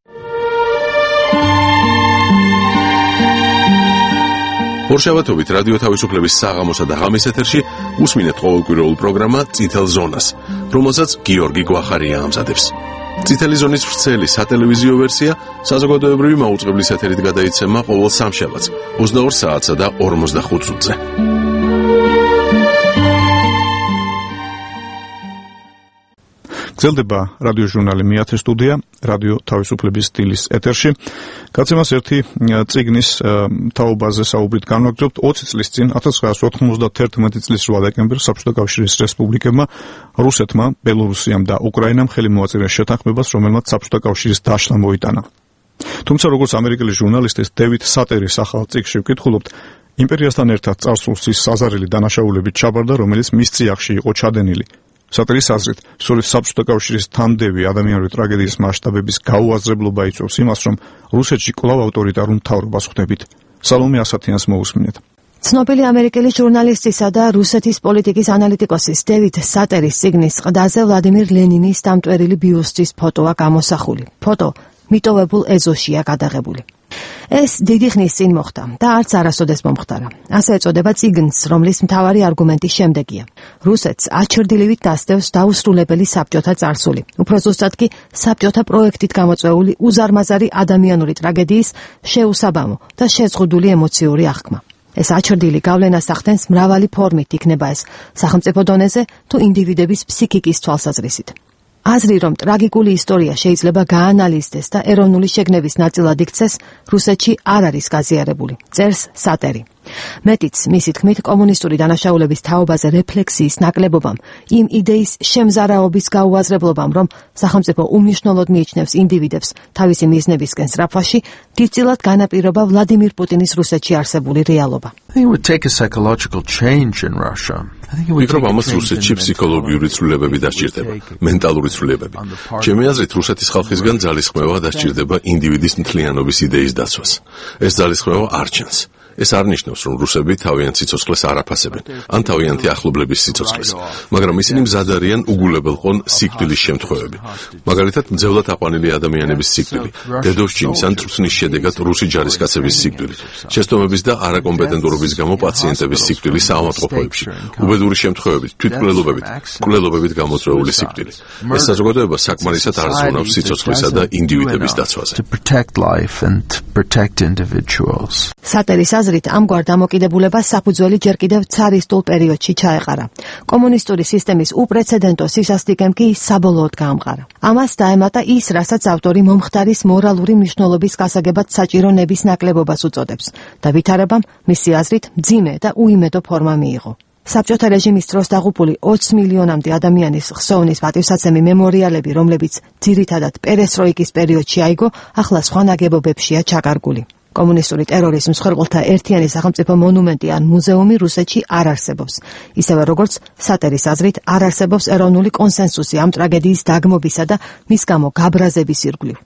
ორშაბათობით რადიო თავისუფლების საღამოსა და ღამის ეთერში უსმინეთ ყოველკვირეულ პროგრამა წითელ ზონას, რომელსაც გიორგი გვახარია ამზადებს. წითელი ზონის ვრცელი სატელევიზიო ვერსია საზოგადოებრივი მაუწყებლის ეთერით გადაიცემა ყოველ სამშაბათს 22 საათსა და 45 წუთზე. გრძელდება რადიო ჟურნალი მეათე სტუდია, რადიო თავისუფლების სტილის ეთერში. გაცემას ერთი წიგნის თაობაზე საუბრით განვაგრძობთ. 20 წლის წინ 1991 წლის 8 დეკემბერს საბჭოთა კავშირის რესპუბლიკებმა, რუსეთმა, ბელორუსიამ და უკრაინამ ხელი მოაწერეს შეთანხმებას, რომელმაც საბჭოთა კავშირის დაშლა მოიტანა. თუმცა როგორც ამერიკელი ჟურნალისტის დევიდ სატერის ახალ წიგნში ვკითხულობთ, იმპერიასთან ერთად წარსულს ის საზარელი დანაშაულებით ჩაბარდა, რომელიც მის წიაღში იყო ჩადენილი. სატერის აზრით, სწორედ საბჭოთა კავშირის თანდევი ადამიანური ტრაგედიის მასშტაბების გაუაზრებლობა იწვევს იმას, რომ რუსეთში კვლავ ავტორიტარულ მთავრობას ხვდებით. სალომე ასათიანს მოусმინეთ. ცნობილი ამერიკელი ჟურნალისტისა და რუსეთის პოლიტიკის ანალიტიკოსის დევიდ სატერის წიგნის ყდაზე ვლადიმირ ლენინის დამტვერილი ბიუსტის ფოტოა გამოსახული. ფოტო მიტოვებულ ეზოშია გადაღებული. ეს დიდი ხნის წინ მოხდა და არც არასოდეს მომხდარა. ასე ეწოდება წიგნს, რომლის მთავარი არგუმენტი შემდეგია. რუსეთს აჩრდილივით დასდევს დაუსრულებელი საბჭოთა წარსული. უფრო ზუსტად კი საბჭოთა პროექტით გამოწვეული უზარმაზარი ადამიანური ტრაგედიის შეუსაბამო და შეზღუდული ემოციური აღქმა. ეს აჩრდილი გავლენას ახდენს მრავალი ფორმით, იქნება ეს სახელმწიფო დონეზე თუ ინდივიდების ფსიქიკის თვალსაზრისით. აზრი, რომ ტრაგიკული ისტორია შეიძლება გაანალიზდეს და ეროვნული შეგნების ნაწილად იქცეს, რუსეთში არ არის გაზიარებული, წერს სატერი. მეტიც, მისი თქმით, კომუნისტური დანაშაულების თაობაზე რეფლექსიის ნაკლებობამ, იმ იდეის შემზარაობის გაუაზრებლობამ, რომ სახელმწიფო უმნიშვნელოდ მიიჩნევს ინდივიდებს თავისი მიზნებისკენ სწრაფვაში, დიდწილად განაპირობა ვლადიმირ პუტინის რუსეთში არსებული რეალობა. ვფიქრობ, ამას რუსეთში ფსიქოლოგიური ცვლილებები დასჭირდება, მენტალური ცვლილებები. ჩემი აზრით, რუსეთის ხალხისგან ძალისხმევა დასჭირდება ინდივიდის მთლიანობის იდეის დაცვას. ეს ძალისხმევა არ ჩანს. ეს არ ნიშნავს, რომ რუსები თავიანთ სიცოცხლეს არ აფასებენ, ან თავიანთი ახლობლების სიცოცხლეს, მაგრამ ისინი მზად არიან უგულებელყონ სიკვდილის შემთხვევები. მაგალითად, მძევლად აყვანილი ადამიანების სიკვდილი, დედოვშჩინის ან წვრთნის შედეგად რუსი ჯარისკაცების სიკვდილი, შეცდომების და არაკომპეტენტურობის გამო პაციენტების სიკვდილი საავადმყოფოებში, უბედური შემთხვევებით, თვითმკვლელობებით გამოწვეული სიკვდილი. ეს საზოგადოება საკმარისად არ ზრუნავს სიცოცხლისა და ინდივიდების დაცვაზე. სატერის აზრით, ამგვარ დამოკიდებულებას საფუძველი ჯერ კიდევ ცარისტულ პერიოდში ჩაეყარა. კომუნისტური სისტემის უპრეცედენტო სისასტიკემ კი საბოლოოდ გაამყარა. ამას დაემატა ის, რასაც ავტორი მომხდარის მორალური მნიშვნელობის გასაგებად საჭირო ნების ნაკლებობას უწოდებს და ვითარებამ მისი აზრით მძიმე და უიმედო ფორმა მიიღო. საბჭოთა რეჟიმის დროს დაღუპული 20 მილიონამდე ადამიანის ხსოვნის პატივსაცემი მემორიალები, რომლებიც ძირითადად პერესტროიკის პერიოდში აიგო, ახლა სხვა ნაგებობებშია ჩაკარგული. კომუნისტური ტერორის მსხვერპლთა ერთიანი სახელმწიფო მონუმენტი ან მუზეუმი რუსეთში არ არსებობს. ისევე როგორც სატერის აზრით არ არსებობს ეროვნული კონსენსუსი ამ ტრაგედიის დაგმობისა და მის გამო გაბრაზების ირგვლივ.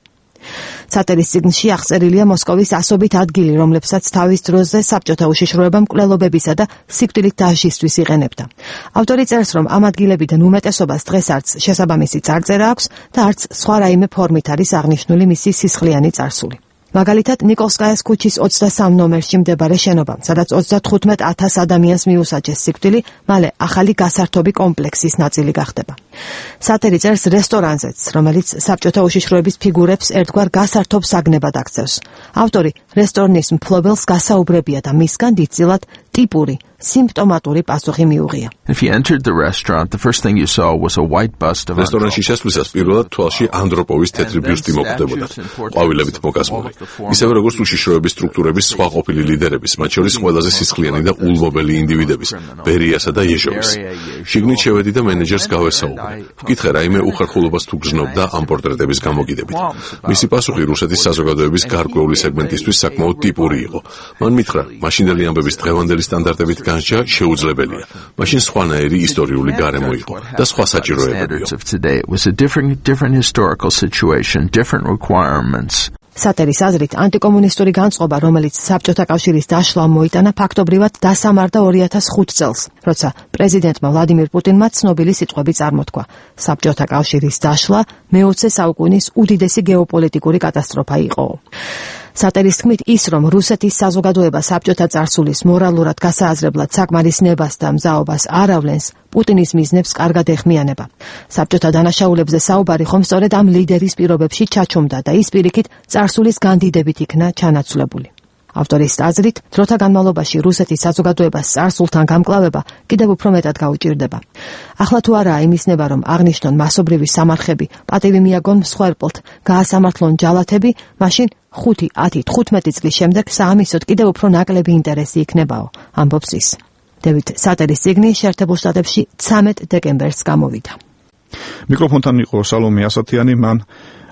სატერის წიგნში აღწერილია მოსკოვის ასობით ადგილი, რომლებსაც თავის დროზე საბჭოთა უშიშროება მკვლელობებისა და სიკვდილით დასჯისთვის იყენებდა. ავტორი წერს, რომ ამ ადგილებიდან უმეტესობას დღეს არც შესაბამისი წარწერა აქვს და არც სხვა რაიმე ფორმით არის აღნიშნული მისი სისხლიანი წარსული. მაგალითად, ნიკოლსკაიას ქუჩის 23 ნომერში მდებარე შენობა, სადაც 35,000 ადამიანს მიუსაჯეს სიკვდილი, მალე ახალი გასართობი კომპლექსის ნაწილი გახდება. სატერი წერს რესტორანზეც, რომელიც საბჭოთა უშიშროების ფიგურებს ერთგვარ გასართობ საგნებად აქცევს. ავტორი რესტორნის მფლობელს გასაუბრებია და მისგან დიდწილად ტიპური, სიმპტომატური პასუხი მიუღია. რესტორანში შესვლისას პირველად თვალში ანდროპოვის თეთრი ბიუსტი მოკვდებოდა, ყვავილებით მოკასმული. ისევე როგორც უშიშროების სტრუქტურების სხვა ყოფილი ლიდერების, მათ შორის ყველაზე სისხლიანი და ულმობელი ინდივიდების, ბერიასა და ეჟოვის. შიგნით შევედი და მენეჯერს გავესაუბრე. ვკითხე რაიმე უხერხულობას თუ გრძნობდა ამ პორტრეტების გამოგიდებით. მისი პასუხი რუსეთის საზოგადოების გარკვეული სეგმენტისთვის საკმაოდ ტიპური იყო. მან მითხრა, მაშინდელი ამბების დღევანდელი სტანდარტებით განსჯა შეუძლებელია. მაშინ სხვანაირი ისტორიული გარემო იყო და სხვა საჭიროებებია. სატერის აზრით, ანტიკომუნისტური განწყობა, რომელიც საბჭოთა კავშირის დაშლამ მოიტანა, ფაქტობრივად დასამარდა 2005 წელს, როცა პრეზიდენტმა ვლადიმირ პუტინმა ცნობილი სიტყვები წარმოთქვა. საბჭოთა კავშირის დაშლა მე-20 საუკუნის უდიდესი გეოპოლიტიკური კატასტროფა იყო. სატერის თქმით, ის რომ რუსეთის საზოგადოება საბჭოთა წარსულის მორალურად გასააზრებლად საკმარის ნებას და მზაობას არ ავლენს, პუტინის მიზნებს კარგად ეხმიანება. საბჭოთა დანაშაულებზე საუბარი ხომ სწორედ ამ ლიდერის პირობებში ჩაჩუმდა და ის პირიქით წარსულის განდიდებით იქნა ჩანაცვლებული. ავტორის აზრით, დროთა განმავლობაში რუსეთის საზოგადოებას წარსულთან გამკლავება კიდევ უფრო მეტად გაუჭირდება. ახლა თუ არაა იმის ნება, რომ აღნიშნონ მასობრივი სამარხები, პატივი მიაგონ მსხვერპლთ, გაასამართლონ ჯალათები, მაშინ 5, 10, 15 წლის შემდეგ საამისოდ კიდევ უფრო ნაკლები ინტერესი იქნებაო, ამბობს ის. დევიდ სატერის წიგნი შეერთებულ შტატებში 13 დეკემბერს გამოვიდა. მიკროფონთან იყო სალომე ასათიანი, მან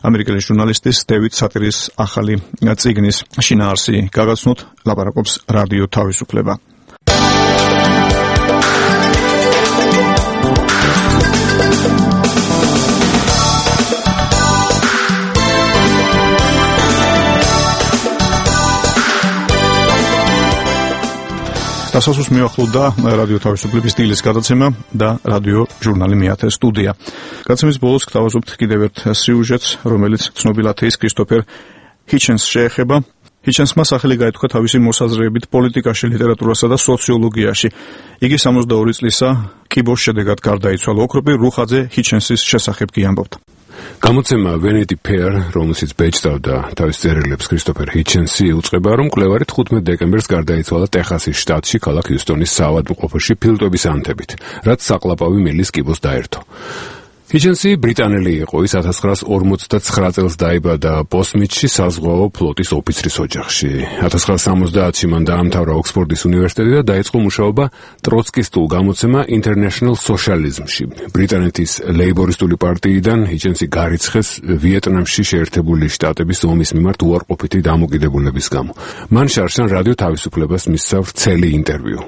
ამერიკელი ჟურნალისტის დევიდ სატერის ახალი წიგნის შინაარსი გაგაცნოთ, ლაპარაკობს რადიო თავისუფლება. დასასრულს მიახლოვდა რადიო თავისუფლების დილის გადაცემა და რადიო ჟურნალი მეათე სტუდია. გადაცემის ბოლოს გთავაზობთ კიდევ ერთ სიუჟეტს, რომელიც ცნობილ ათეის კრისტოფერ ჰიჩენს შეეხება. ჰიჩენსმა სახელი გაითქვა თავისი მოსაზრეებით პოლიტიკაში, ლიტერატურასა და სოციოლოგიაში. იგი 62 წლისა კიბოს შედეგად გარდაიცვალა. ოქროპი რუხაძე ჰიჩენსის შესახებ კი ამბობდა. გამოცემა Vanity Fair, რომელშიც ბეჭდავდა თავის წერილებს კრისტოფერ ჰიჩენსი, უწყება, რომ მკვლევარი 15 დეკემბერს გარდაიცვალა ტეხასის შტატში, ქალაქ ჰიუსტონის საავადმყოფოში ფილტვების ანთებით, რაც საყლაპავი მილის კიბოს დაერთო. ჰიჩენსი ბრიტანელი იყო, ის 1959 წელს დაიბადა ბოსმიტში საზღვაო ფლოტის ოფიცრის ოჯახში. 1970-ში მან დაამთავრა ოქსფორდის უნივერსიტეტი და დაიწყო მუშაობა ტროცკისტულ გამოცემა International Socialism-ში. ბრიტანეთის ლეიბორისტული პარტიიდან ჰიჩენსი გარიცხეს ვიეტნამში შეერთებული შტატების ომის მიმართ უარყოფითი დამოკიდებულების გამო. მან შარშან რადიო თავისუფლებას მისცა ვრცელი ინტერვიუ.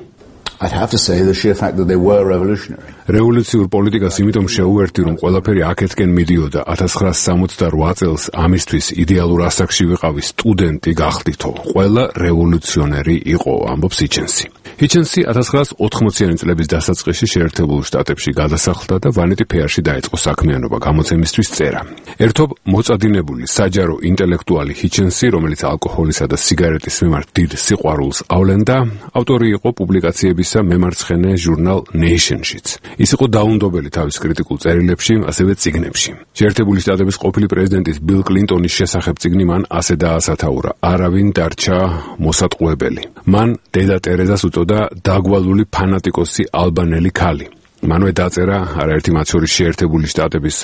I'd have to say the sheer fact that they were revolutionary. რევოლუციურ პოლიტიკას იმიტომ შეუერთი, რომ ყველაფერი აქეთკენ მიდიოდა. 1968 წელს ამისთვის იდეალურ ასაკში ვიყავი, სტუდენტი გახდითო. ყველა რევოლუციონერი იყო, ამბობს ჰიჩენსი. ჰიჩენსი 1980-იანი წლების დასაწყისში შეერთებულ შტატებში გადასახლდა და Vanity Fair-ში დაიწყო საქმიანობა, გამოცემისთვის წერა. ერთობ მოწადინებული საჯარო ინტელექტუალი ჰიჩენსი, რომელიც ალკოჰოლისა და სიგარეტის მიმართ დიდ სიყვარულს ავლენდა, ავტორი იყო პუბლიკაციების მემარცხენე ჟურნალ Nation-შიც. ის იყო დაუნდობელი თავის კრიტიკულ წერილებში, ასევე წიგნებში. შეერთებული შტატების ყოფილი პრეზიდენტის ბილ კლინტონის შესახებ წიგნი მან ასე დაასათაურა: არავინ დარჩა მოსატყუებელი. მან დედა ტერეზას უწოდა დაგვალული ფანატიკოსი ალბანელი ქალი. მანვე დაწერა არაერთი მათ შორის შეერთებული შტატების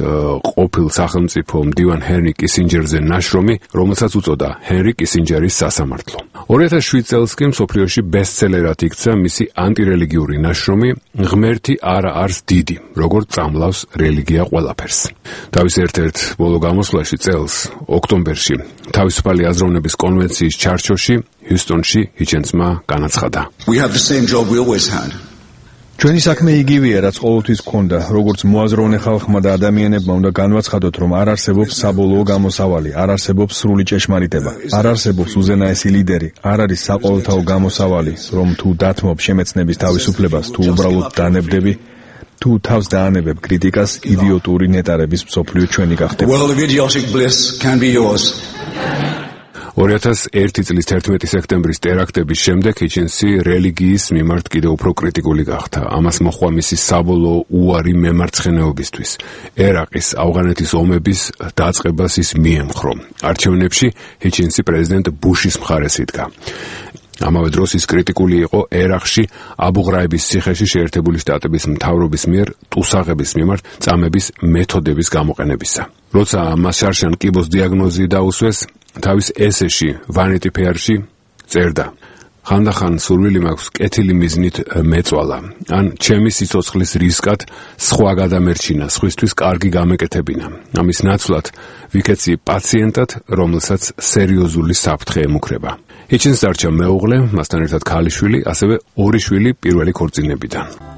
ყოფილ სახელმწიფო მდივან ჰენრი კისინჯერზე ნაშრომი, რომელსაც უწოდა ჰენრი კისინჯერის სასამართლო. 2007 წელს კი მსოფლიოში ბესტსელერად იქცა მისი ანტირელიგიური ნაშრომი ღმერთი არა არის დიდი, როგორც წამლავს რელიგია ყველაფერს. თავის ერთ-ერთ ბოლო გამოსვლაში წელს ოქტომბერში თავისუფალი აზროვნების კონვენციის ჩარჩოში ჰიუსტონში ჰიჩენსმა განაცხადა: We have the same job we always had. ჩვენი საქმე იგივეა, რაც ყოველთვის გქონდა, როგორც მოაზროვნე ხალხმა და ადამიანებმა უნდა განვაცხადოთ, რომ არ არსებობს საბოლოო გამოსავალი, არ არსებობს სრული ჭეშმარიტება, არ არსებობს უზენაესი ლიდერი, არ არის საყოველთაო გამოსავალი, რომ თუ დათმობ შემეცნების თავისუფლებას, თუ უბრალოდ დანებდები, თუ თავს დაანებებ კრიტიკას, იდიოტური ნეტარების მსოფლიო ჩვენი გახდება. 2001 წლის 11 სექტემბრის ტერაქტების შემდეგ ჰიჩინსი რელიგიის მიმართ კიდევ უფრო კრიტიკული გახდა. ამას მოჰყვა მისი საბოლოო უარი მემარცხენეობისთვის. ერაყის ავღანეთის ომების დაწყებას ის მიემხრო. არჩევნებში ჰიჩინსი პრეზიდენტ ბუშის მხარეს იდგა. ამავე დროს ის კრიტიკული იყო ერაყში აბუ-ღრაიბის ციხეში შეერთებული შტატების მთავრობის მიერ ტუსაღების მიმართ წამების მეთოდების გამოყენებისა. როცა მას შარშან კიბოს დიაგნოზი დაუსვეს, თავის ესეში Vanity Fair-ში წერდა: ხანდახან სურვილი მაქვს კეთილი მიზნით მეწვალა, ან ჩემი სიცოცხლის რისკად სხვა გადამერჩინა, სხვისთვის კარგი გამეკეთებინა. ამის ნაცვლად ვიქეცი პაციენტად, რომელსაც სერიოზული საფრთხე ემუქრება. ჰიჩინს დარჩა მეუღლე, მასთან ერთად ქალიშვილი, ასევე 2 შვილი პირველი ქორწინებიდან.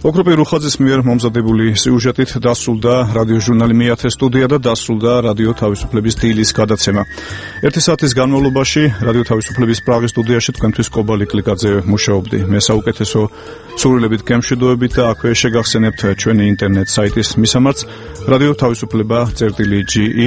ოქროპე რუხაძის მიერ მომზადებული სიუჟეტით დასრულდა რადიოჟურნალი მეათე სტუდია და დასრულდა რადიო თავისუფლების დილის გადაცემა. 1 საათის განმავლობაში რადიო თავისუფლების პრაღის სტუდიაში თქვენთვის კობალი კლიკაძე მუშაობდი. მე საუკეთესო სურვილებით გემშვიდობებით და აქვე შეგახსენებთ ჩვენი ინტერნეტ საიტის მისამართს რადიო თავისუფლება.ge.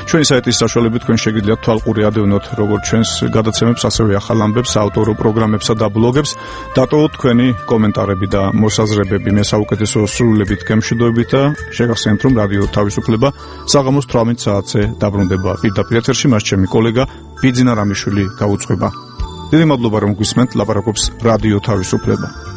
ჩვენი საიტის საშუალებით თქვენ შეგიძლიათ თვალყური ადევნოთ როგორც ჩვენს გადაცემებს, ასევე ახალ ამბებს, ავტორო პროგრამებსა და ბლოგებს. დატოვოთ თქვენი კომენტარები და მოსაზრებები. მე საუკეთესო სურვილებით გემშვიდობებით და შეგახსენებთ, რომ რადიო თავისუფლება საღამოს 18 საათზე დაბრუნდება პირდაპირ ეთერში, მას ჩემი კოლეგა ბიძინა რამიშვილი გაუძღვება. დიდი მადლობა რომ გვისმენთ, ლაპარაკობს რადიო თავისუფლება.